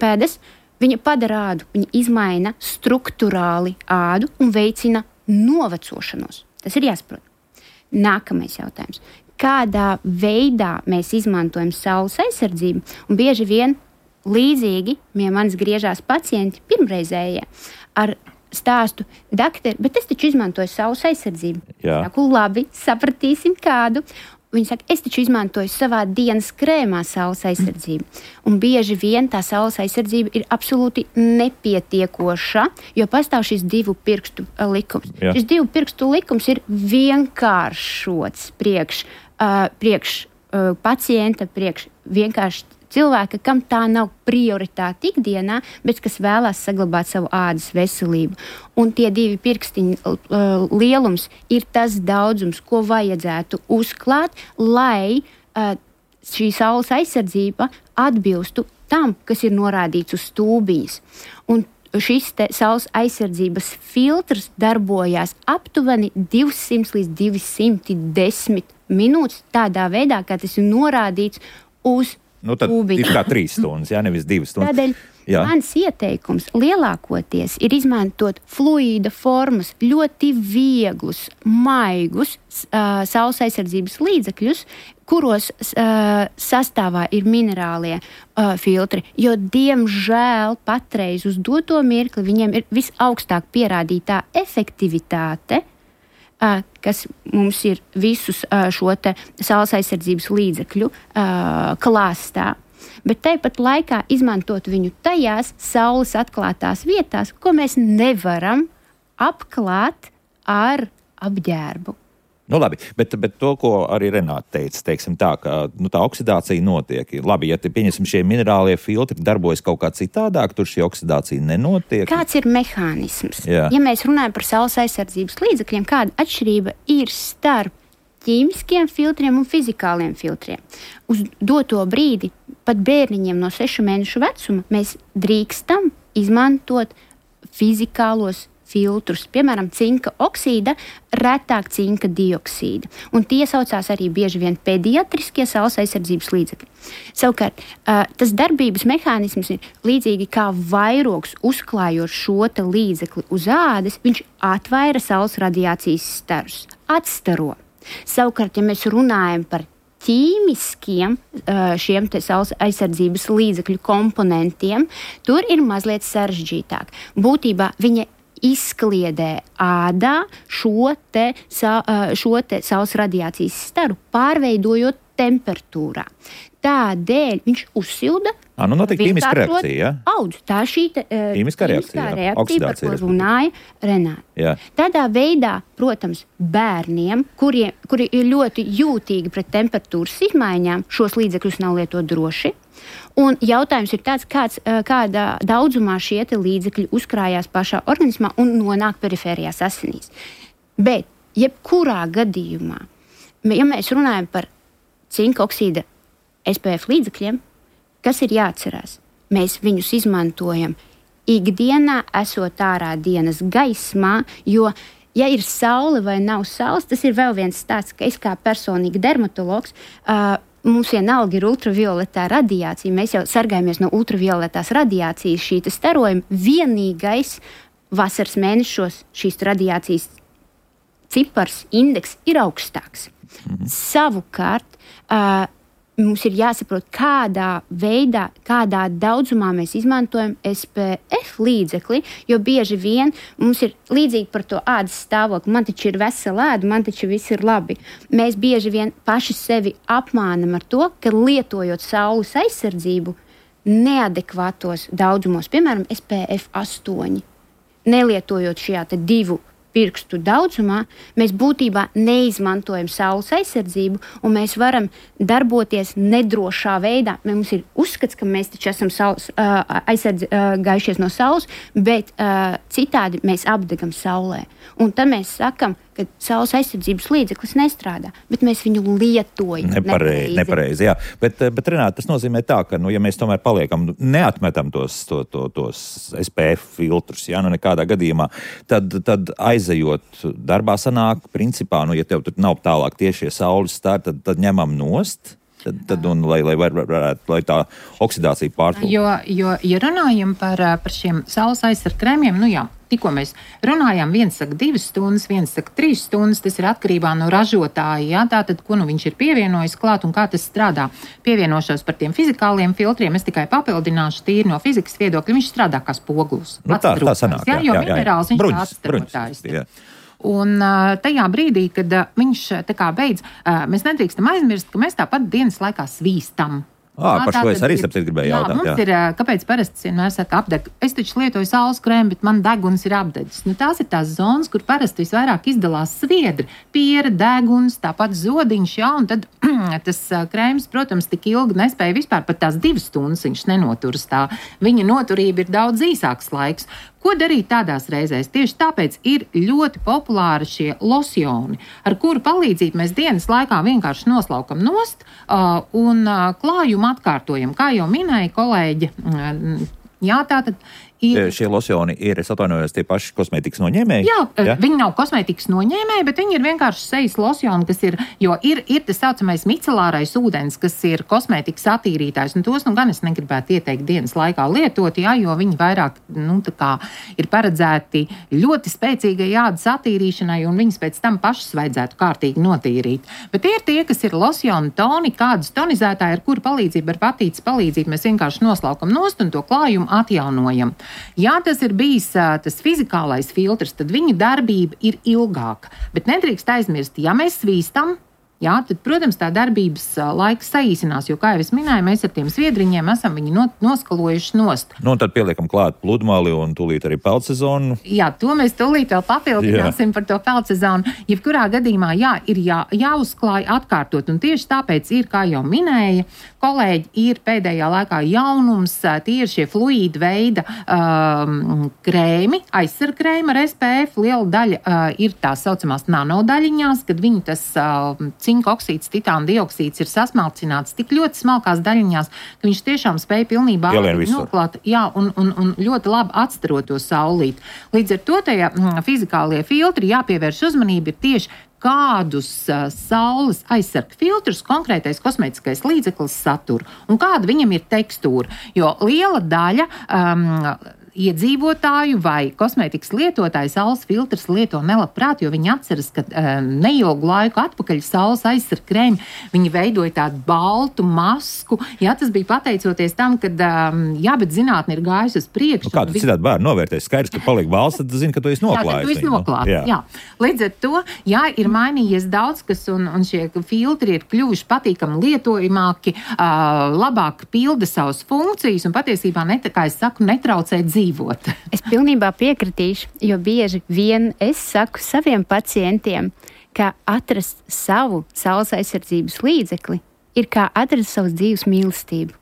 pēdas. Viņa padara ādu, viņa izmaina struktūrāli ādu un veicina novecošanos. Tas ir jāsaprot. Nākamais jautājums. Kādā veidā mēs izmantojam saules aizsardzību? Un bieži vien līdzīgi pie manis griežās pacienti pirmreizējie ar stāstu, doktori, bet es taču izmantoju saules aizsardzību. Jā. Saku, labi, sapratīsim kādu. Viņi saka, es taču izmantoju savā dienas krēmā saules aizsardzību. Un bieži vien tā saules aizsardzība ir absolūti nepietiekoša, jo pastāv šis divu pirkstu likums. Jā. Šis divu pirkstu likums ir vienkāršots priekš, uh, priekš uh, pacienta, priekš vienkārši cilvēka, kam tā nav prioritāte ikdienā, bet kas vēlās saglabāt savu ādas veselību. Un tie divi pirkstiņi uh, lielums ir tas daudzums, ko vajadzētu uzklāt, lai uh, šī saules aizsardzība atbilstu tam, kas ir norādīts uz stūbiņas. Un šis te saules aizsardzības filtrs darbojās aptuveni divsimt līdz divsimt desmit minūtes tādā veidā, kā tas ir norādīts uz Nu, tad Ubiņa. ir kā trīs stundas, jā, nevis divas stundas. Tādēļ jā. Mans ieteikums lielākoties ir izmantot fluīda formas, ļoti vieglus, maigus uh, saules aizsardzības līdzekļus, kuros uh, sastāvā ir minerālie uh, filtri, jo, diemžēl, patreiz uz doto mirkli viņiem ir visaugstāk pierādītā efektivitāte kas mums ir visus šo te saules aizsardzības līdzekļu klāstā, bet tāpat laikā izmantot viņu tajās saules atklātās vietās, ko mēs nevaram apklāt ar apģērbu. Nu, labi, bet, bet to, ko arī Renāte teica, teiksim tā, ka nu, tā oksidācija notiek. Labi, ja te, pieņemsim, šie minerālie filtri darbojas kaut kā citādāk, tur šī oksidācija nenotiek. Kāds ir mehānisms? Jā. Ja mēs runājam par saules aizsardzības līdzekļiem, kāda atšķirība ir starp ķīmiskiem filtriem un fizikāliem filtriem? Uz doto brīdi, pat bērniņiem no sešu mēnešu vecuma, mēs drīkstam izmantot fizikālos filtrus, piemēram, cinka oksīda, retāk cinka dioksīda. Un tie saucās arī bieži vien pediatriskie saules aizsardzības līdzekļi. Savukārt, tas darbības mehānisms ir līdzīgi kā vairogs uzklājot šo te līdzekli uz ādas, viņš atvaira saules radiācijas starus, atstaro. Savukārt, ja mēs runājam par ķīmiskiem šiem te saules aizsardzības līdzekļu komponentiem, tur ir mazliet sarežģītāk. Būtībā viņa izkliedē ādā šo te, šo te saules radiācijas staru, pārveidojot temperatūrā. Tādēļ viņš uzsilda. À, nu notiek ķīmiska reakcija, ja? Audz. Tā šī te, ķīmiskā reakcija, reakcija par ko runāja Renāte. Jā. Tādā veidā, protams, bērniem, kuriem, kuri ir ļoti jūtīgi pret temperatūras izmaiņām, šos līdzekļus nav lietot droši. Un jautājums ir tāds, kāds, kādā daudzumā šie līdzekļi uzkrājās pašā organismā un nonāk perifērijās asinīs. Bet, jebkurā gadījumā, ja mēs runājam par cinka oksīda S P F līdzekļiem, kas ir jāatcerās? Mēs viņus izmantojam ikdienā, esot ārā dienas gaismā, jo, ja ir saule vai nav saules, tas ir vēl viens stāsts, ka es kā personīgi dermatologs, uh, mums vienalga ir ultravioletā radiācija. Mēs jau sargājamies no ultravioletās radiācijas, šī starojuma. Vienīgais vasaras mēnešos šīs radiācijas cipars, indeks ir augstāks. Mm. Savukārt, uh, mums ir jāsaprot, kādā veidā, kādā daudzumā mēs izmantojam S P F līdzekli, jo bieži vien mums ir līdzīgi par to ādas stāvokli. Man taču ir vesela āda, man taču viss ir labi. Mēs bieži vien paši sevi apmānam ar to, ka lietojot saules aizsardzību neadekvātos daudzumos, piemēram, S P F astoņi, nelietojot šajā te divu pirkstu daudzumā, mēs būtībā neizmantojam saules aizsardzību, un mēs varam darboties nedrošā veidā. Mums ir uzskats, ka mēs taču esam saules, uh, aizsardz, uh, gājušies no saules, bet uh, citādi mēs apdegam saulē. Un tad mēs sakam, ka saules aizsardzības līdzeklis nestrādā, bet mēs viņu lietojam. Nepareizi, nepareizi, jā. Bet, bet Renāte, tas nozīmē tā, ka, nu, ja mēs tomēr paliekam, neatmetam tos, to, to, tos S P F filtrus, jā, nu nekādā gadījumā, tad, tad aizejot darbā sanāk, principā, nu, ja tev tur nav tālāk tiešie saules stāri, tad, tad ņemam nost. Tad, tad un, lai, lai, var, var, lai tā oksidācija pārtrūk. Jo, jo, ja runājam par, par šiem saules aizsargu krēmiem, nu jā, tikko mēs runājām, viens saka divas stundas, viens saka trīs stundas, tas ir atkarībā no ražotāja, jā, tātad, ko nu viņš ir pievienojis klāt un kā tas strādā. Pievienošos par tiem fizikāliem filtriem, es tikai papildināšu tīri no fizikas viedokļa, viņš strādā kā spogulis. Nu, tā, tā sanāk, jā, jā, jo jā, jā, minerāls viņš bruņas, tāds starpotājs. bruņas, Un uh, tajā brīdī, kad uh, viņš tā kā beidz, uh, mēs nedrīkstam aizmirst, ka mēs tāpat dienas laikā svīstam. À, par šo es arī saprat gribēju jā, jautāt. Mums jā. ir, kāpēc parasti vienmēr saka apdeg? Es taču lietoju saules krēmu, bet man deguns ir apdedzis. Nu, tās ir tās zonas, kur parasti visvairāk izdalās sviedri, piera, deguns, tāpat zodiņš, jā, un tad tas krēms, protams, tik ilgi nespēja vispār pat tās divas stundas viņš nenoturas tā. Viņa noturība ir daudz īsāks laiks. Ko darīt tādās reizēs? Tieši tāpēc ir ļoti populāri šie losjoni, ar kuru palīdzību mēs dienas laikā vienkārši noslaukam nost uh, un uh, klājumu atkārtojam. Kā jau minēja kolēģi, uh, jā, tātad ir... Šie losjoni ir, es atvainojos, tie paši kosmētikas noņēmēji? Jā, ja? Viņi nav kosmētikas noņēmēji, bet viņi ir vienkārši sejas losjoni, kas ir, jo ir, ir tas saucamais micelārais ūdens, kas ir kosmētikas attīrītājs, un tos, nu, gan es negribētu ieteikt dienas laikā lietot, jā, jo viņi vairāk, nu, tā kā ir paredzēti ļoti spēcīgai ādas attīrīšanai, un viņas pēc tam pašas vajadzētu kārtīgi notīrīt. Bet tie ir tie, kas ir losjoni toni, kādas tonizētāji, ar kuru palīdzību, ar patītes palīdzību mēs vienkārši noslaukam nost un to klājumu atjaunojam. Ja tas ir bijis tas fizikālais filtrs, tad viņa darbība ir ilgāka. Bet nedrīkst aizmirst, ja mēs svīstam, jā, tad, protams, tā darbības laiks saīsinās, jo, kā jau es minēju, mēs ar tiem sviedriņiem esam viņu no, noskalojuši nost. Nu, un tad pieliekam klāt pludmali un tūlīt arī peldsezonu. Jā, to mēs tūlīt vēl papildināsim jā. Par to peldsezonu. Jebkurā gadījumā, jā, ir jā, jāuzklāj atkārtot, un tieši tāpēc ir, kā jau minēja, kolēģi, ir pēdējā laikā jaunums, tie ir šie fluīda veida um, krēmi, aizsarkrēmi ar S P F, liela daļa uh, ir tā saucamās nanodaļiņās, kad viņi tas uh, cinka oksīds, titāna dioksīds ir sasmalcināts tik ļoti smalkās daļiņās, ka viņš tiešām spēja pilnībā noklāt, jā, un, un, un ļoti labi atstarot to saulīt. Līdz ar to tajā mm, fizikālie filtri jāpievērš uzmanība ir tieši kādus uh, saules aizsarga filtrus konkrētais kosmētiskais līdzeklis satur un kāda viņam ir tekstūra, jo liela daļa um, iedzīvotāju vai kosmētikas lietotāju saules filtrs lieto nelabprāt, jo viņi atceras, ka um, neilgu laiku atpakaļ saules aizsarga krēmi, viņi veidoja tādu baltu masku. Jā, tas bija pateicoties tam, ka, um, jā, bet zinātne ir gājusi uz priekšu. Nu, kā tu citādi bērni novērtēs? Skaidrs, ka paliek balsts, tad zini, ka tu esi noklājis. Jā, tu esi noklājis, jā. jā. Līdz ar to, jā, ir mainījies daudz, kas un, un šie filtri ir kļuvuši patīkami lietojamāki, uh, labāk pilda savas funkcijas un patiesībā, net, kā es saku, netraucē dzīvi. Es pilnībā piekritīšu, jo bieži vien es saku saviem pacientiem, ka atrast savu saules aizsardzības līdzekli ir kā atrast savas dzīves mīlestību.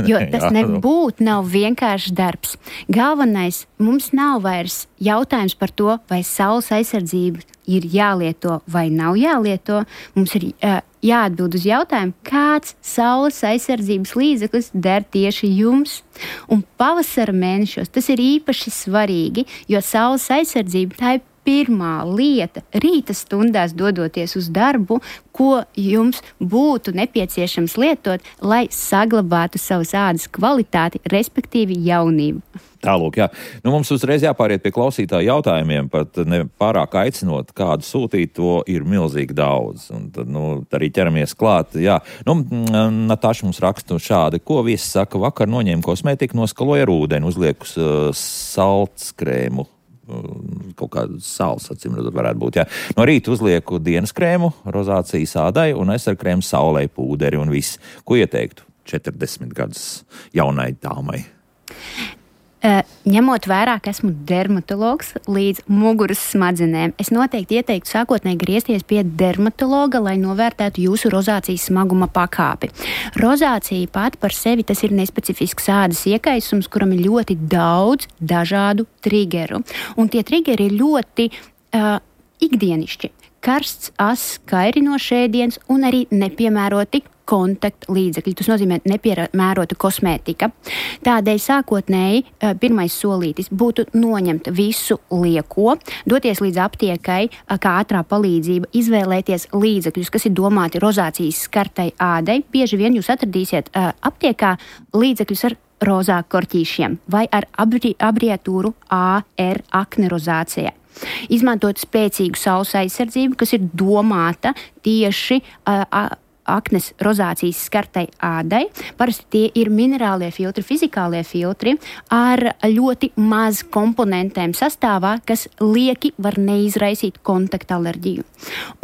Jo tas nebūtu nav vienkāršs darbs. Galvenais, mums nav vairs jautājums par to, vai saules aizsardzība ir jālieto vai nav jālieto. Mums ir uh, jāatbild uz jautājumu, kāds saules aizsardzības līdzeklis der tieši jums. Un pavasara mēnešos tas ir īpaši svarīgi, jo saules aizsardzība tā ir pirmā lieta rīta stundās dodoties uz darbu, ko jums būtu nepieciešams lietot, lai saglabātu savas ādas kvalitāti, respektīvi jaunību. Tālūk, jā. Nu, mums uzreiz jāpāriet pie klausītāju jautājumiem, pat ne pārāk aicinot kādu sūtīt, to ir milzīgi daudz. Un tad, nu, arī ķeramies klāt, jā. Nu, Natāša mums raksta šādi, ko viesis saka, vakar noņēma kosmētiku, noskaloja ar ūdeni, uzliekus uh, saldskrēmu. Kaut kādu sāls, acīm redzot, varētu būt. Jā. No rīta uzlieku dienas krēmu, rozācijas ādai un aizsarkrēmu saulē, pūderi un viss. Ko ieteiktu četrdesmit gadus jaunai dāmai? Uh, ņemot vērā, ka esmu dermatologs līdz muguras smadzenēm, es noteikti ieteiktu sākotnēji griezties pie dermatologa, lai novērtētu jūsu rozācijas smaguma pakāpi. Rozācija pat par sevi tas ir nespecifisks ādas iekaisums, kuram ir ļoti daudz dažādu trigeru. Un tie trigeri ir ļoti uh, ikdienišķi. Karsts, ass, kairinošs ēdiens un arī nepiemēroti kontakta līdzekļi. Tas nozīmē nepiemērota kosmētika. Tādēļ sākotnēji pirmais solītis būtu noņemt visu lieko, doties līdz aptiekai, kā ātrā palīdzība, izvēlēties līdzekļus, kas ir domāti rozācijas skartai ādai. Bieži vien jūs atradīsiet aptiekā līdzekļus ar rozā korķīšiem vai ar abri, abreviatūru A R aknerozācija. Izmantot spēcīgu saules aizsardzību, kas ir domāta tieši uh, aknes rozācijas skartai ādai. Parasti tie ir minerālie filtri, fizikālie filtri ar ļoti maz komponentēm sastāvā, kas lieki var neizraisīt kontakta alerģiju.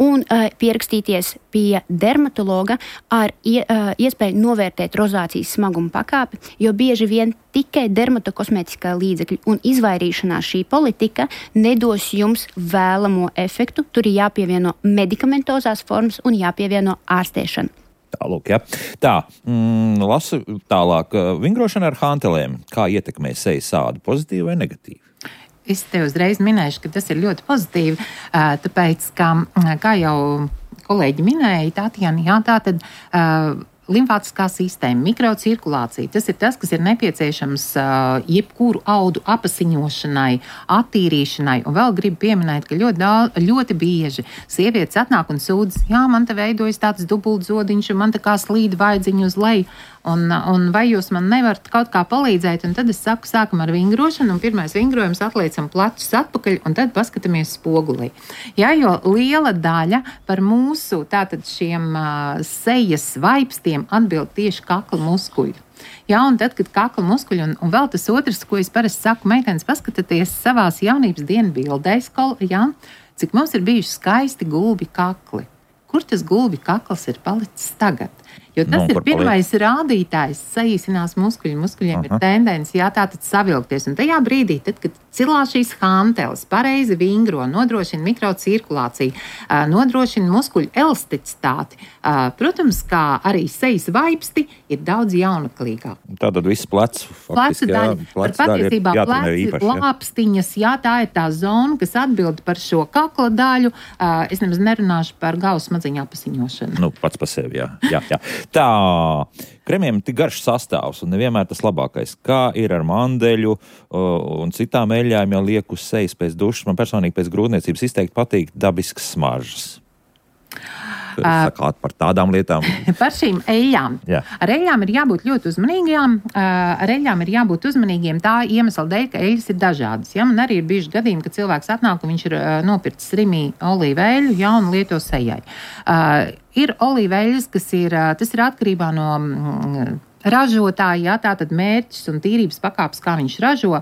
Un uh, pierakstīties pie dermatologa ar ie, uh, iespēju novērtēt rozācijas smaguma pakāpi, jo bieži vien tikai dermatokosmētiskā līdzekļa un izvairīšanās šī politika nedos jums vēlamo efektu. Tur ir jāpievieno medikamentozās formas un jāpievieno ārstēšana. Tālūk, jā. Tā, mm, lasu tālāk. Vingrošana ar hantelēm. Kā ietekmē sejas ādu, pozitīvi vai negatīvi? Es te uzreiz minēšu, ka tas ir ļoti pozitīvi, tāpēc, ka, kā jau kolēģi minēja, Tatjana, jā, tā tad uh, limfātiskā sistēma, mikrocirkulācija, tas ir tas, kas ir nepieciešams uh, jebkuru audu apasiņošanai, attīrīšanai. Un vēl gribu pieminēt, ka ļoti, daudz, ļoti bieži sievietes atnāk un sūdz, jā, man te veidojas tāds dubultzodiņš, un man tā kā slīd vaidziņu uz leju. un, un vai jūs man nevarat kaut kā palīdzēt, un tad es saku, sākam ar vingrošanu, un pirmais vingrojums atliecam plecus atpakaļ, un tad paskatāmies spogulī. Jā, jo liela daļa par mūsu tātad šiem uh, sejas vaipstiem atbild tieši kakla muskuļi. Jā, un tad, kad kakla muskuļi, un, un vēl tas otrs, ko es parasti saku, meitenes, paskatieties savās jaunības dienu bildēs, jā, cik mums ir bijuši skaisti gulbi kakli. Kur tas gulbi kakls ir palicis tagad? Jo tas no, ir pirmais paliek? Rādītājs, saīsinās muskuļi, muskuļiem Aha. ir tendence, jā, tātad savilkties. Un tajā brīdī, tad, kad cilā šīs hanteles pareizi vingro, nodrošina mikrocirkulāciju, nodrošina muskuļu elasticitāti, protams, kā arī sejas vaipsti ir daudz jaunaklīgāk. Tātad viss plecs, faktiski, jā, plec patiesībā pleci, lāpstiņas, jā, tā ir tā zona, kas atbild par šo kakla daļu. Es nemaz nerunāšu par galvas smadziņu apasiņošanu. Nu, pats par sevi, jā, jā, jā. Tā, kremiem tik garš sastāvs un nevienmēr tas labākais. Kā ir ar mandeļu un citām eļļām, ja liek uz sejas pēc dušas? Man personīgi pēc grūtniecības izteikti patīk dabiskas smaržas. Sakāt par tādām lietām. Par šīm eļļām. Jā. Ar eļļām ir jābūt ļoti uzmanīgām. Ar eļļām ir jābūt uzmanīgiem tā iemesla dēļ, ka eļļas ir dažādas. Ja? Man arī ir bijuši gadījumi, kad cilvēks atnāk un viņš ir nopircis rimī olīveļu, ja, un lieto sejai. Uh, ir olīveļas, kas ir, tas ir atkarībā no mm, ražotāji, jā, tātad mērķis un tīrības pakāpes, kā viņš ražo,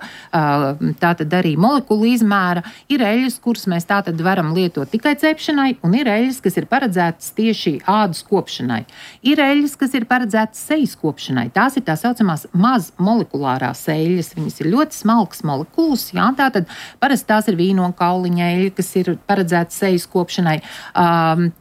tātad arī molekulu izmēra. Ir eļļas, kuras mēs tātad varam lietot tikai cepšanai, un ir eļļas, kas ir paredzētas tieši ādas kopšanai. Ir eļļas, kas ir paredzētas sejas kopšanai. Tās ir tā saucamās maz molekulārās eļļas. Viņas ir ļoti smalkas molekulas, jā, tātad parasti tās ir vīnokauliņa eļļa, kas ir paredzētas sejas kopšanai.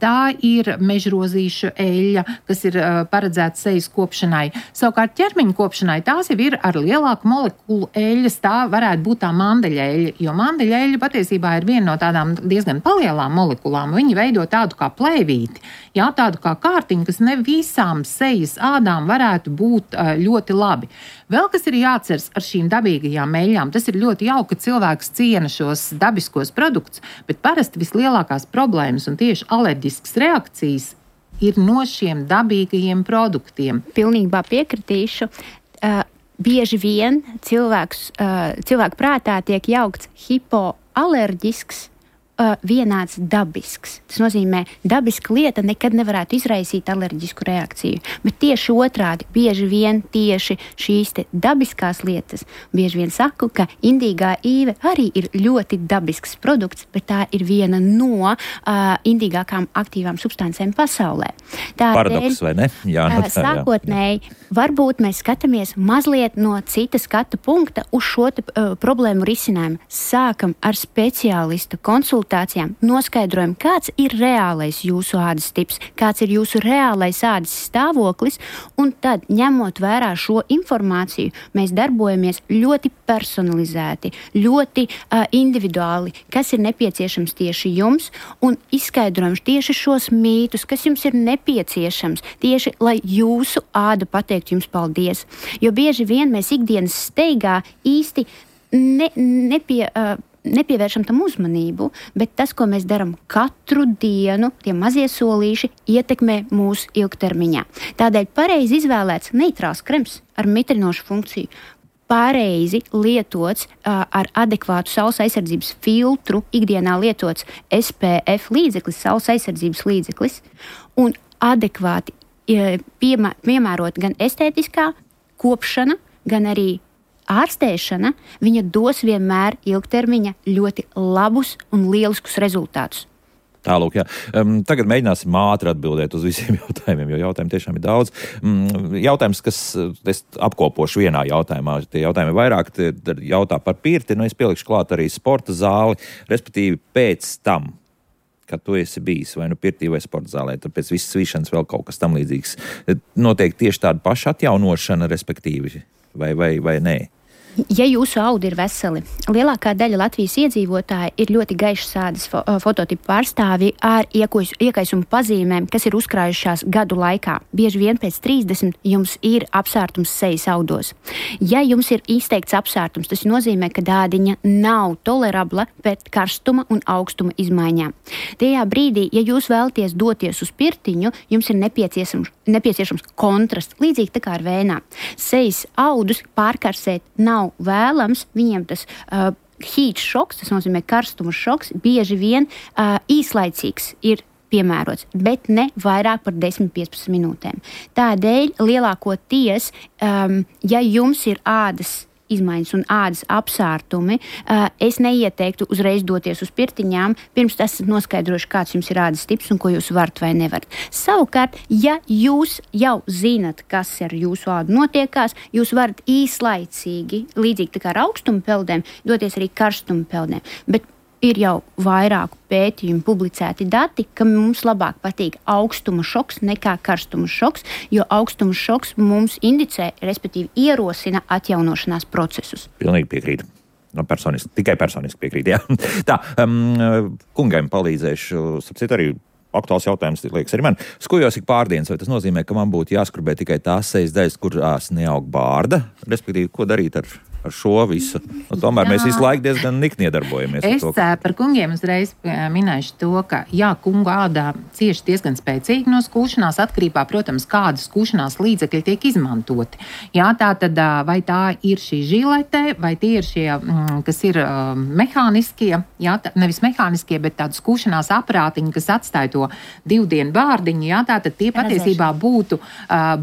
Tā ir mežrozīša eļļa, kas ir paredzētas sejas kopšanai. Savukārt ķermeņa kopšanai tās jau ir ar lielāku molekulu eļļas, tā varētu būt tā mandeļa eļļa, jo mandeļa eļļa patiesībā ir viena no tādām diezgan palielām molekulām. Viņi veido tādu kā plēvīti, jā, tādu kā kārtiņu, kas ne visām sejas ādām varētu būt uh, ļoti labi. Vēl kas ir jāatceras ar šīm dabīgajām eļļām, tas ir ļoti jauki, ka cilvēks ciena šos dabiskos produktus, bet parasti vislielākās problēmas un tieši alerģiskas reakcijas ir no šiem dabīgajiem produktiem. Pilnībā piekritīšu. Uh, bieži vien cilvēks, uh, cilvēku prātā tiek jaukts hipoalerģisks, uh, vienāds dabisks. Tas nozīmē, dabiska lieta nekad nevarētu izraisīt alerģisku reakciju. Bet tieši otrādi, bieži vien tieši šīs te dabiskās lietas, bieži vien saku, ka indīgā īve arī ir ļoti dabisks produkts, bet tā ir viena no uh, indīgākām aktīvām substancēm pasaulē. Paradoks, vai ne? Jā, uh, sākotnēji, varbūt mēs skatāmies mazliet no cita skatu punkta uz šo te, uh, problēmu risinājumu. Sākam ar speciālistu konsultācijām, noskaidrojam, kāds ir reālais jūsu ādas tips, kāds ir jūsu reālais ādas stāvoklis, un tad, ņemot vērā šo informāciju, mēs darbojamies ļoti personalizēti, ļoti uh, individuāli, kas ir nepieciešams tieši jums, un izskaidrojam tieši šos mītus, kas jums ir nepieciešams, tieši, lai jūsu āda pateiktu jums paldies. Jo bieži vien mēs ikdienas steigā īsti ne, nepie... Uh, nepievēršam tam uzmanību, bet tas, ko mēs darām katru dienu, tie mazie solīši ietekmē mūsu ilgtermiņā. Tādēļ pareizi izvēlēts neitrāls krems ar mitrinošu funkciju, pareizi lietots uh, ar adekvātu saules aizsardzības filtru, ikdienā lietots S P F līdzeklis, saules aizsardzības līdzeklis, un adekvāti uh, piemē, piemērot gan estētiskā kopšana, gan arī ārstēšana, viņa dos vienmēr ilgtermiņa ļoti labus un lieliskus rezultātus. Tālūk, jā. Um, tagad mēģināsim ātri atbildēt uz visiem jautājumiem, jo jautājumu tiešām ir daudz. Um, jautājums, kas es apkopošu vienā jautājumā, tie jautājumi vairāk, tie jautā par pirti, nu es pielikšu klāt arī sporta zāli, respektīvi pēc tam, kad tu esi bijis vai nu pirtī vai sporta zālē, tad pēc visas svīšanas vēl kaut kas tam līdzīgs. Notiek tieši tāda paša atjaunošana, respektīvi, vai, vai, vai nē? Ja jūsu audi ir veseli, lielākā daļa Latvijas iedzīvotāji ir ļoti gaišas ādas fo fototipu pārstāvji ar iekaisumu pazīmēm, kas ir uzkrājušās gadu laikā. Bieži vien pēc trīsdesmit jums ir apsārtums sejas audos. Ja jums ir izteikts apsārtums, tas nozīmē, ka ādiņa nav tolerabla pret karstuma un augstuma izmaiņām. Tajā brīdī, ja jūs vēlaties doties uz pirtiņu, jums ir nepieciešams, nepieciešams kontrasts, līdzīgi tā kā ar vēnām. Sejas audus pārkarsēt nav vēlams, viņiem tas uh, heat šoks, tas nozīmē karstuma šoks, bieži vien uh, īslaicīgs ir piemērots, bet ne vairāk par desmit līdz piecpadsmit minūtēm. Tādēļ lielākoties, um, ja jums ir ādas izmaiņas un ādas apsārtumi, uh, es neieteiktu uzreiz doties uz pirtiņām, pirms esat noskaidrojuši, kāds jums ir ādas tips un ko jūs varat vai nevarat. Savukārt, ja jūs jau zinat, kas ar jūsu ādu notiekās, jūs varat īslaicīgi, līdzīgi tā kā ar augstuma peldēm, doties arī karstuma peldēm. Bet ir jau vairāku pētījumu publicēti dati, ka mums labāk patīk augstuma šoks nekā karstuma šoks, jo augstuma šoks mums indicē, respektīvi ierosina atjaunošanās procesus. Pilnīgi piekrītu. No, personiski, tikai personiski piekrīt, jā. Tā, um, kungam palīdzēšu, sapcīt arī aktuāls jautājums, liekas arī man. Skujos ik pārdienas, vai tas nozīmē, ka man būtu jāskrubē tikai tās sejas daļas, kurās neaug bārda? Respektīvi, ko darīt ar ar šo visu. Un tomēr jā. Mēs visu laiku diezgan nikni iedarbojamies. Es to, ka... par kungiem uzreiz minēšu to, ka jā, kungu ādā cieši diezgan spēcīgi no skūšanās, atkarībā, protams, kāda skūšanās līdzekļi tiek izmantoti. Jā, tā tad, vai tā ir šī žilete, vai tie ir šie, kas ir mehāniskie, jā, tā, nevis mehāniskie, bet tādu skūšanās aparātiņi, kas atstāja to divdienu bārdiņu, jā, tā tad tie patiesībā būtu,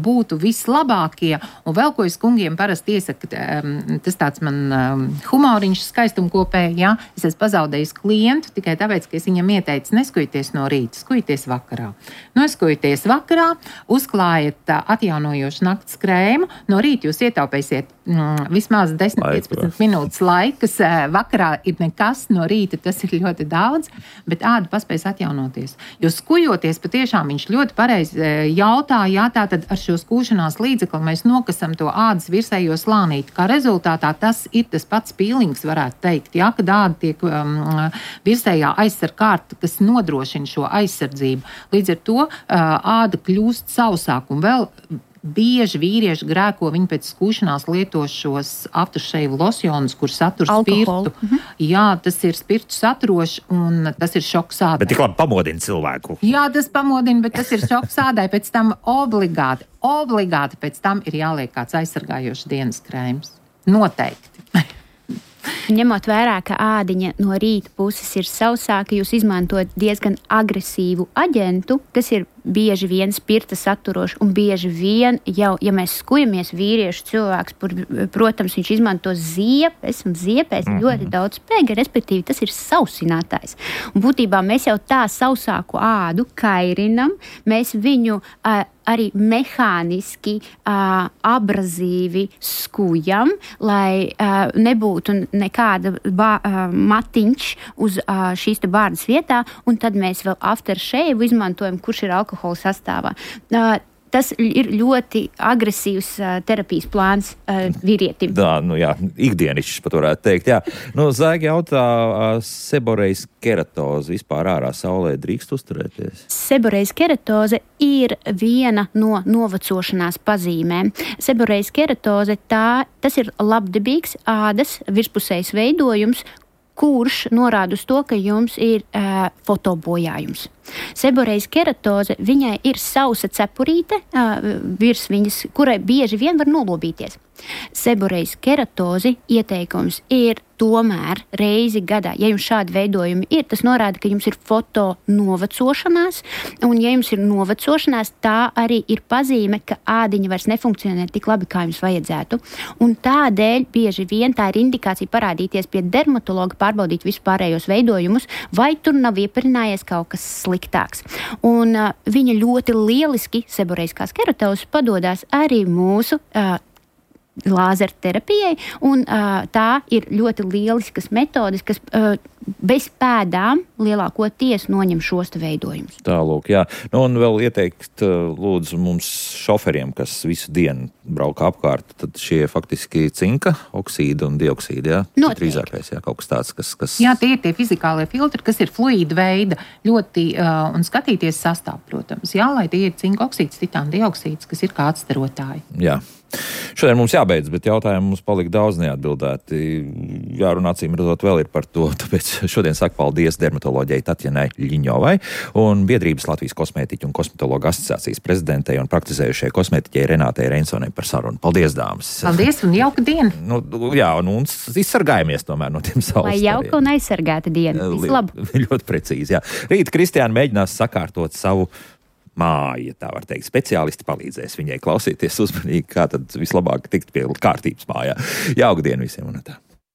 būtu vislabākie. Un vēl, ko es kungiem parasti iesaku, tas tāds man um, humoriņš skaistumkopēji, jā, es esmu pazaudējis klientu tikai tāpēc, ka es viņam ieteicu neskujieties no rīta, skujieties vakarā. Noskujieties vakarā, uzklājiet uh, atjaunojošu nakts krēmu, no rīta jūs ietaupēsiet mm, vismaz desmit līdz piecpadsmit minūtes laikas, uh, vakarā ir nekas, no rīta tas ir ļoti daudz, bet āda paspējas atjaunoties. Jo skujoties, patiešām viņš ļoti pareizi uh, jautā, jā, tātad ar šo skūšanās līdzekli mēs nokasam to ādas virsējo slānīti, kā rezultātā tas ir tas pats pīlings, varētu teikt, jā, kad āda tiek um, virsējā aizsarg kārta, kas nodrošina šo aizsardzību. Līdz ar to uh, āda kļūst sausāk un vēl bieži vīrieši grēko, viņi pēc skūšanās lieto šos aftershave losjonus, kur satur spirtu. Mhm. Jā, tas ir spirtu saturoši un tas ir šoks ādai. Bet tik labi pamodina cilvēku. Jā, tas pamodina, bet tas ir šoks ādai. Pēc tam obligāti, obligāti pēc tam ir jāliek kāds aizsargājošs dienas krēms. Noteikti. Ņemot vērā, ka ādiņa no rīta puses ir sausāka, jūs izmantojat diezgan agresīvu aģentu, kas ir bieži vien spirta saturoši un bieži vien jau, ja mēs skujamies vīriešu cilvēks, pur, protams, viņš izmanto ziepes un ziepēs mm-hmm. ļoti daudz spēka, respektīvi tas ir sausinātājs. Un būtībā mēs jau tā sausāku ādu kairinam, mēs viņu uh, arī mehāniski, uh, abrazīvi skujam, lai uh, nebūtu nekāda bā, uh, matiņš uz uh, šīs te bārdas vietā, un tad mēs vēl aftershave izmantojam, kurš ir alkohola sastāvā. Uh, Tas ir ļoti agresīvs uh, terapijas plāns uh, vīrietim. Tā, nu jā, ikdienišķis pat varētu teikt, jā. Nu, Zēgi jautā, uh, seborejas keratoze vispār ārā saulē drīkst uzturēties? Seborejas keratoze ir viena no novecošanās pazīmēm. Seborejas keratoze, tā, tas ir labdabīgs ādas virspusējs veidojums, kurš norāda uz to, ka jums ir uh, fotobojājums. Seborejas keratoze, viņai ir sausa cepurīte uh, virs viņas, kurai bieži vien var nolobīties. Seborejas keratozi ieteikums ir tomēr reizi gadā. Ja jums šādi veidojumi ir, tas norāda, ka jums ir foto novecošanās, un ja jums ir novecošanās, tā arī ir pazīme, ka ādiņa vairs nefunkcionē tik labi, kā jums vajadzētu. Un tādēļ bieži vien tā ir indikācija parādīties pie dermatologa, pārbaudīt vispārējos veidojumus, vai tur nav ieparinājies kaut kas sliktāks. Un uh, viņa ļoti lieliski, seborejiskās keratozes, padodās arī mūsu uh, lāzerterapijai, un uh, tā ir ļoti lieliskas metodes, kas uh, bez pēdām lielākoties noņem šos veidojumus. Tālūk, jā. Nu, un vēl ieteikt, lūdzu, mums šoferiem, kas visu dienu brauka apkārt, tad šie faktiski cinka oksīdi un dioksīdi, jā? Drīzākais, jā, kaut kas tāds, kas... kas... Jā, tie ir tie fizikālie filtri, kas ir fluīda veida, ļoti, uh, un skatīties sastāv, protams. Jā, lai tie ir cinka oksīds, titāna dioksīds, kas ir kā atstarotāji. Jā. Šodien mums jābeidz, bet jautājumu mums palika daudz neatbildēti. Jārunā, acīm redzot, vēl ir par to, tāpēc šodien saku paldies dermatoloģijai Tatjanai Ļiņovai un Biedrības Latvijas kosmētiķu un kosmetologu asociācijas prezidentei un praktizējušai kosmētiķei Renātei Reinsonai par sarunu. Paldies, dāmas! Paldies un jauka diena! Nu, jā, un, un izsargājamies tomēr no tiem saules. Lai jauka un aizsargāta diena. Vislabāk! Ļoti precīzi, jā. Rīt Kristiāna mēģinās sakārtot savu māju, ja tā var teikt. Speciālisti palīdzēs viņai klausīties uzmanīgi, kā tad vislabāk tikt pie kārtības mājā. Jauka diena visiem un tā.